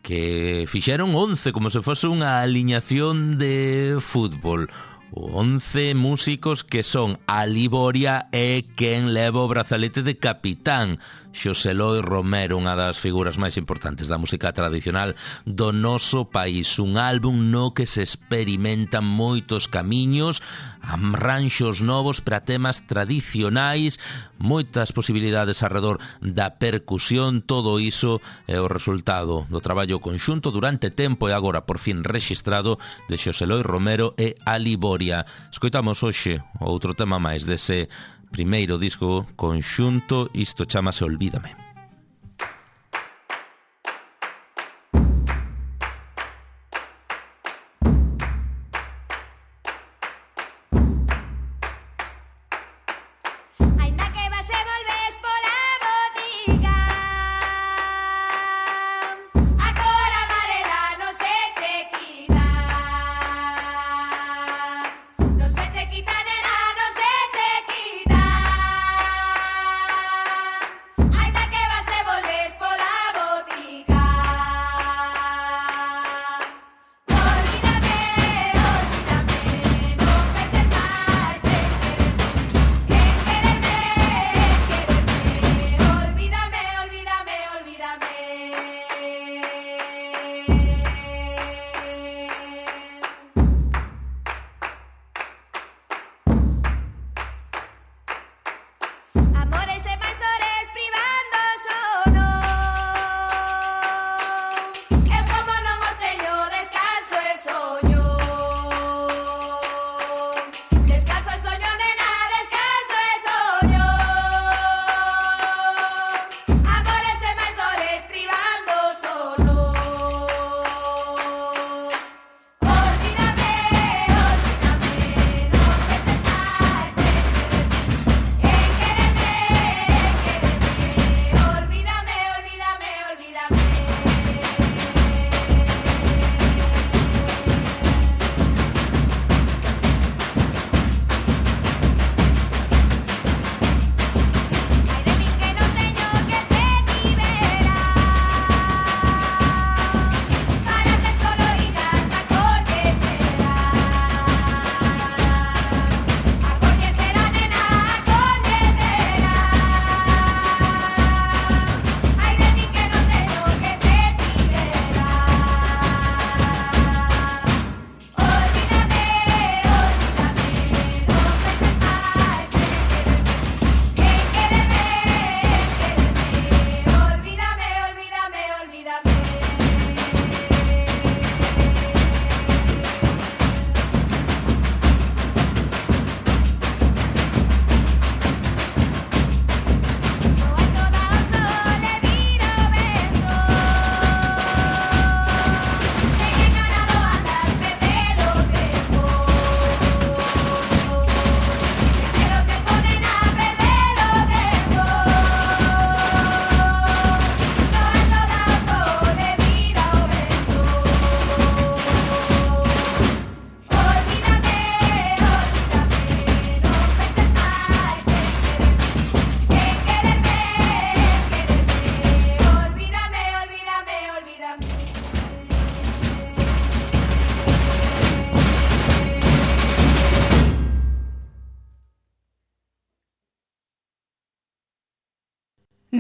que fixeron once, como se fose unha aliñación de fútbol. once músicos que son a Liboria e quen leva o brazalete de capitán. Xosé Loi Romero, unha das figuras máis importantes da música tradicional do noso país. Un álbum no que se experimentan moitos camiños, arranxos novos para temas tradicionais, moitas posibilidades alrededor da percusión. Todo iso é o resultado do traballo conxunto durante tempo e agora por fin rexistrado de Xosé Loi Romero e Aliboria. Escoitamos hoxe outro tema máis dese primeiro disco conxunto, isto chamase Olvídame.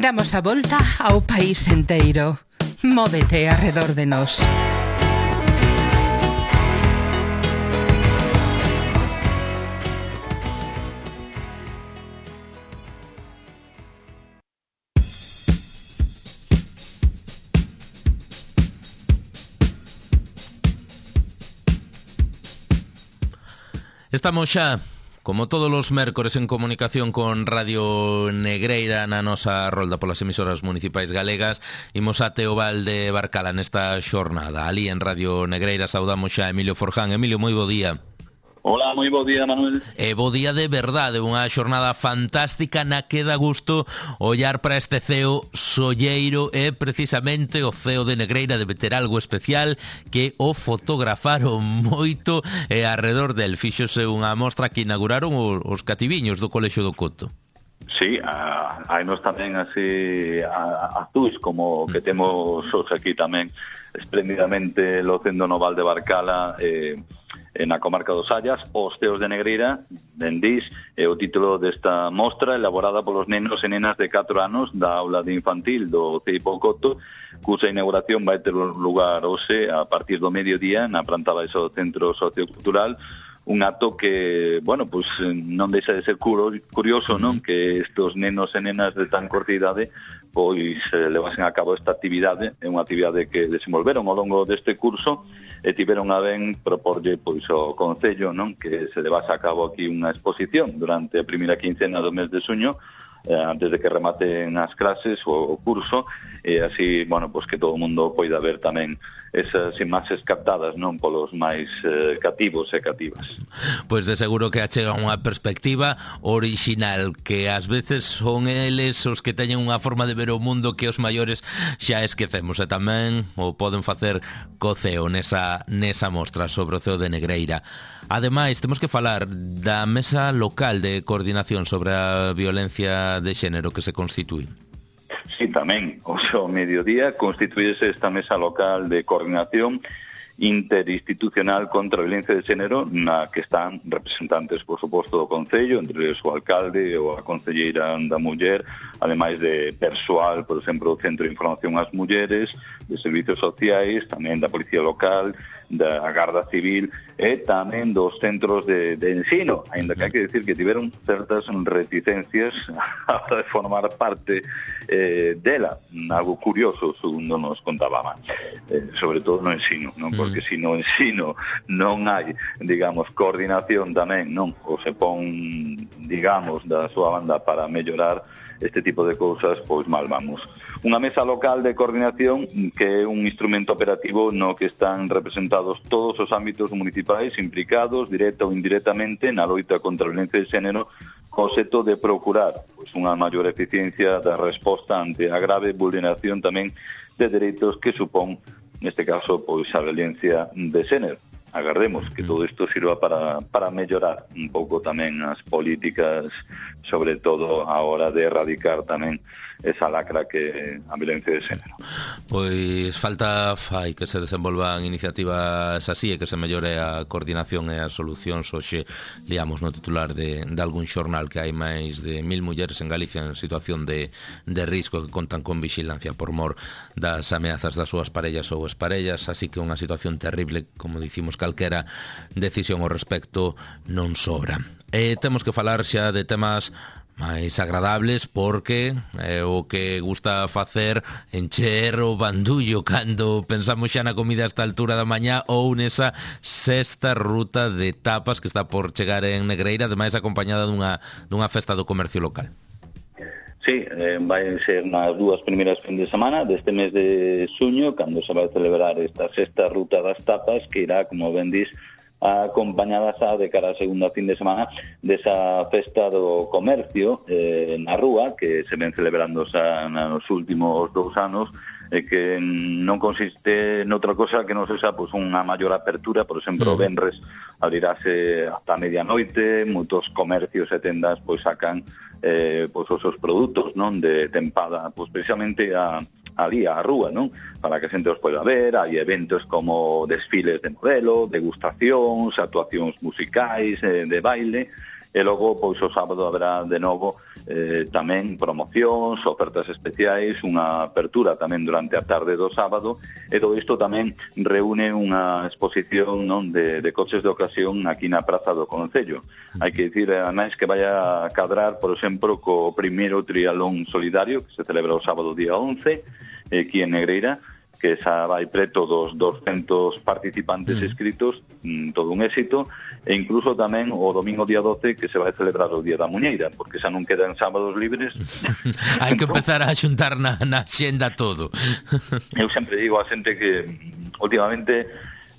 Damos a volta ao país enteiro. Móvete arredor de nós. Estamos xa, como todos os mércores, en comunicación con Radio Negreira na nosa rolda polas emisoras municipais galegas. Imos ate o Val de Barcala nesta xornada. Ali en Radio Negreira saudamos xa a Emilio Forján. Emilio, moi bo día. Hola, moi bo día, Manuel. E bo día de verdade, unha xornada fantástica na que dá gusto ollar para este ceo solleiro e precisamente o ceo de Negreira debe ter algo especial que o fotografaron moito e arredor del fíxose unha mostra que inauguraron os cativiños do Colexio do Coto. Sí, hai nos tamén así azuis como que temos os aquí tamén espléndidamente locendo no Val de Barcala, eh, na comarca dos Sallas, Os Ceos de Negreira, Dendís, é o título desta mostra elaborada polos nenos e nenas de catro anos da aula de infantil do C I P O Coto, cusa inauguración vai ter lugar hoxe a partir do mediodía na planta baixa do Centro Sociocultural, un acto que, bueno, pues non deixa de ser curioso, non? Que estos nenos e nenas de tan corta idade pois eh, levasen a cabo esta actividade, é unha actividade que desenvolveron ao longo deste curso e tiveron a ben proporlle pois o Concello, non? Que se levase a cabo aquí unha exposición durante a primeira quincena do mes de xuño, eh, antes de que rematen as clases o, o curso, e así, bueno, pues que todo o mundo poida ver tamén esas imaxes captadas, non, polos máis eh, cativos e cativas. Pois de seguro que achega unha perspectiva orixinal, que ás veces son eles os que teñen unha forma de ver o mundo que os maiores xa esquecemos, e tamén o poden facer co ceo nesa, nesa mostra sobre o ceo de Negreira. Ademais, temos que falar da mesa local de coordinación sobre a violencia de xénero que se constitúe. Sí, tamén, o seu mediodía constituíese esta mesa local de coordinación interinstitucional contra a violencia de xénero, na que están representantes, por suposto, do Concello, entre o alcalde ou a concelleira da muller, ademais de persoal, por exemplo, do Centro de Información ás Mulleres, de Servicios Sociais, tamén da Policía Local, da Garda Civil e tamén dos centros de, de ensino, ainda que hai que decir que tiveron certas reticencias a hora de formar parte eh, dela, algo curioso, segundo nos contaba, eh, sobre todo no ensino, non? Porque se no ensino non hai, digamos, coordinación tamén, non? Ou se pon, digamos, da súa banda para mellorar este tipo de cousas, pois mal vamos. Unha mesa local de coordinación que é un instrumento operativo no que están representados todos os ámbitos municipais implicados, directa ou indirectamente, na loita contra a violencia de xénero, co obxecto de procurar pois, unha maior eficiencia da resposta ante a grave vulneración tamén de dereitos que supón, neste caso, pois a violencia de xénero. Agardemos que todo isto sirva para, para mellorar un pouco tamén as políticas, sobre todo a hora de erradicar tamén esa lacra que a violencia de xénero. Pois falta fai que se desenvolvan iniciativas así e que se mellore a coordinación e as solucións. Hoxe liamos no titular de, de algún xornal que hai máis de mil mulleres en Galicia en situación de, de risco que contan con vixilancia por mor das ameazas das súas parellas ou exparellas, así que unha situación terrible, como dicimos, calquera decisión ao respecto non sobra. E temos que falar xa de temas máis agradables, porque é o que gusta facer encher o bandullo cando pensamos xa na comida a esta altura da mañá ou nesa sexta ruta de tapas que está por chegar en Negreira, ademais acompañada dunha, dunha festa do comercio local. Sí, eh, vai ser nas dúas primeiras fin de semana deste mes de xuño, cando se vai celebrar esta sexta ruta das tapas, que irá, como ben dis, acompañadas a de cara a segunda fin de semana desa festa do comercio eh, na rúa, que se ven celebrando xa nos últimos dous anos, e que non consiste noutra cosa que non sexa pois, unha maior apertura. Por exemplo, o venres abrirase hasta medianoite, moitos comercios e tendas pois sacan eh, pois, os seus produtos, non, de tempada, pois precisamente a ali a rúa, non? Para que a xente os poida ver. Hai eventos como desfiles de modelo, degustacións, actuacións musicais, eh, de baile, e logo, pois, o sábado haberá de novo eh, tamén promocións, ofertas especiais, unha apertura tamén durante a tarde do sábado, e todo isto tamén reúne unha exposición, non, de, de coches de ocasión aquí na Praza do Concello. Hai que dicir, ademais, que vai a cadrar, por exemplo, co primeiro trialón solidario, que se celebra o sábado día once, aquí en Negreira, que xa vai preto dos doscentos participantes inscritos, mm, todo un éxito, e incluso tamén o domingo día doce, que se vai celebrar o Día da Muñeira, porque xa non quedan sábados libres. Hai que empezar a xuntar na, na xenda todo. Eu sempre digo a xente que últimamente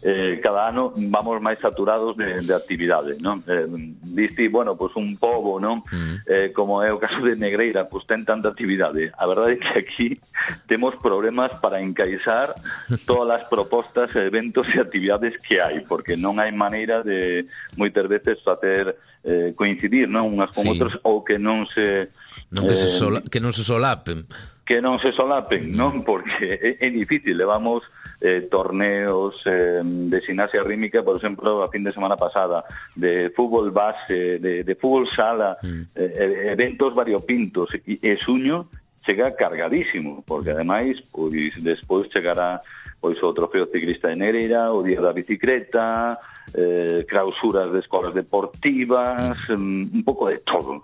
eh, cada ano vamos máis saturados de, de actividade, non? Eh, diste, bueno, pois pues un pobo, non? Mm. Eh, como é o caso de Negreira, pois pues ten tanta actividade. A verdade é que aquí temos problemas para encaixar todas as propostas, eventos e actividades que hai, porque non hai maneira de moitas veces facer eh, coincidir, non, unhas con sí. outras, ou que non se non que, eh, se sola, que non se solapen. que non se solapen, non? Porque é, é difícil, levamos eh, torneos eh, de gimnasia rítmica, por exemplo, a fin de semana pasada, de fútbol base, de, de fútbol sala, mm. eh, eventos variopintos, e, e suño chega cargadísimo, porque ademais, pois, despois chegará pois o trofeo ciclista de Negreira, o día da bicicleta, eh, clausuras de escolas deportivas, mm. un pouco de todo.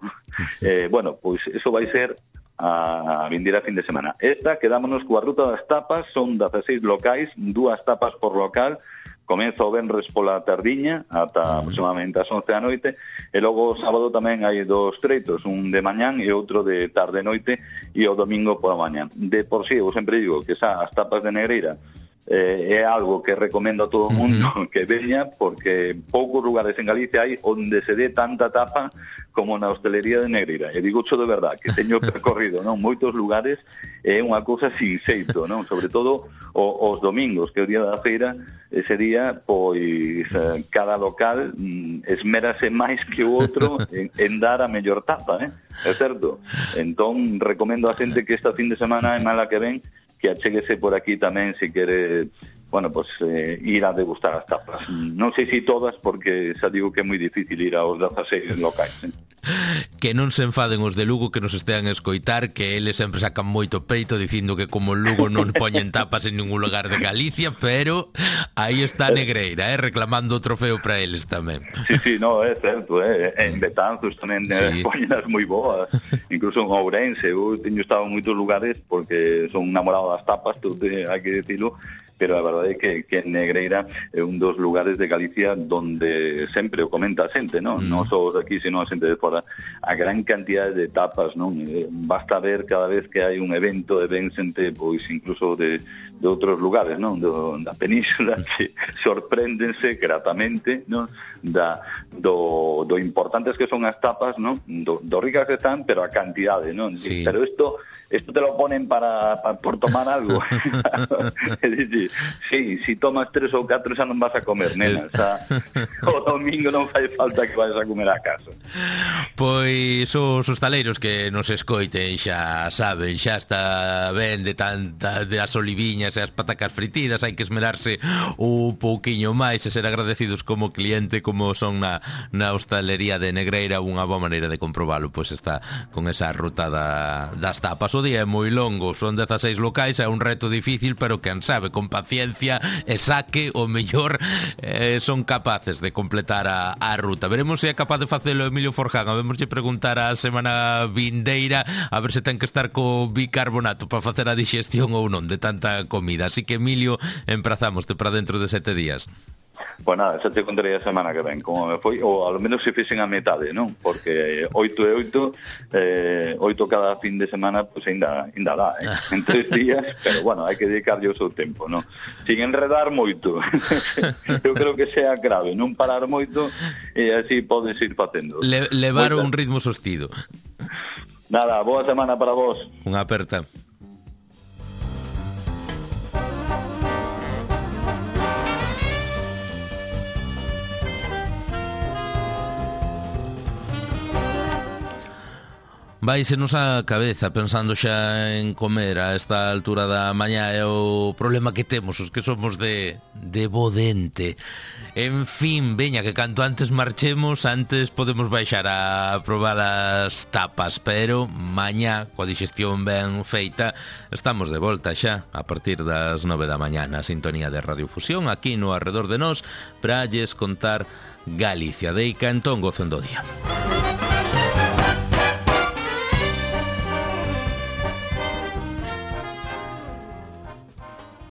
eh, bueno, pois eso vai ser a vindeira fin de semana. Esta, quedámonos coa ruta das tapas, son dezaseis locais, dúas tapas por local, comeza o venres pola tardiña ata uh-huh. aproximadamente as once da noite, e logo o sábado tamén hai dos treitos, un de mañán e outro de tarde noite, e o domingo pola mañán. De por si, sí, eu sempre digo que xa as tapas de Negreira eh, é algo que recomendo a todo o mundo uh-huh. que veña, porque poucos lugares en Galicia hai onde se dé tanta tapa como na hostelería de Negreira. E digo xo de verdad, que teño percorrido, non, moitos lugares, é unha cousa sin xeito, non? Sobre todo o, os domingos, que é o día da feira, ese día, pois, eh, cada local mm, esmérase máis que o outro en, en dar a mellor tapa, eh? É certo? Entón, recomendo a xente que esta fin de semana, en mala que ven, que achéguese por aquí tamén, se quere, bueno, pues eh, ir a degustar as tapas. Non sei se todas, porque xa digo que é moi difícil ir aos dezaseis locais, eh? Que non se enfaden os de Lugo que nos estean a escoitar, que eles sempre sacan moito peito dicindo que como Lugo non poñen tapas en ningún lugar de Galicia, pero aí está Negreira, eh, reclamando o trofeo para eles tamén. Sí, sí, no, é certo, eh. En Betanzos tamén sí. poñen as moi boas, incluso en Ourense. Eu teño estado en moitos lugares porque son namorado das tapas, todo hai que decirlo, pero a verdade é que, que Negreira é un dos lugares de Galicia donde sempre o comenta a xente, non? Mm. Non só os aquí, sino a xente de fora, a gran cantidad de tapas, non? Eh, basta ver cada vez que hai un evento e ven xente, pois, incluso de, de outros lugares, non? Do, da península, que sorpréndense gratamente, non? Da, do, do importantes que son as tapas, non? Do, do ricas que están, pero a cantidade, non? Sí. Pero isto... esto te lo ponen para, para por tomar algo. Es decir, sí, si tomas tres ou catro xa non vas a comer, nena. Xa, o domingo non fai falta que vayas a comer a casa. Pois os hostaleiros que nos escoiten xa saben, xa está ben de tanta de as oliviñas e as patacas fritidas, hai que esmerarse un pouquiño máis e ser agradecidos como cliente, como son na, na hostalería de Negreira. Unha boa maneira de comprobalo, pois está con esa ruta da, das tapas. O día é moi longo, son dezaseis locais, é un reto difícil, pero quen sabe, con paciencia e saque, o mellor eh, son capaces de completar a, a ruta. Veremos se é capaz de facelo Emilio Forján. Vemoslle preguntar a semana vindeira a ver se ten que estar co bicarbonato para facer a digestión ou non de tanta comida. Así que, Emilio, emprazámoste para dentro de sete días. Pois nada, xa te contarei a semana que ven como me foi, ou ao menos se fixen a metade, non? Porque oito e oito eh, oito cada fin de semana, pois pues, ainda, ainda dá, eh? En tres días, pero bueno, hai que dedicarlle o seu tempo, non? Sin enredar moito. Eu creo que sea grave, non parar moito, e así podes ir facendo. Le, levar un ritmo sostido. Nada, boa semana para vos. Unha aperta. Váisenos a cabeza pensando xa en comer a esta altura da mañá. É o problema que temos os que somos de, de bo dente. En fin, veña, que canto antes marchemos, antes podemos baixar a probar as tapas. Pero mañá, coa digestión ben feita, estamos de volta xa a partir das nove da mañá na sintonía de Radio Fusión, aquí no Arredor de Nós, para lles contar Galicia. Deica, entón, gocen do día.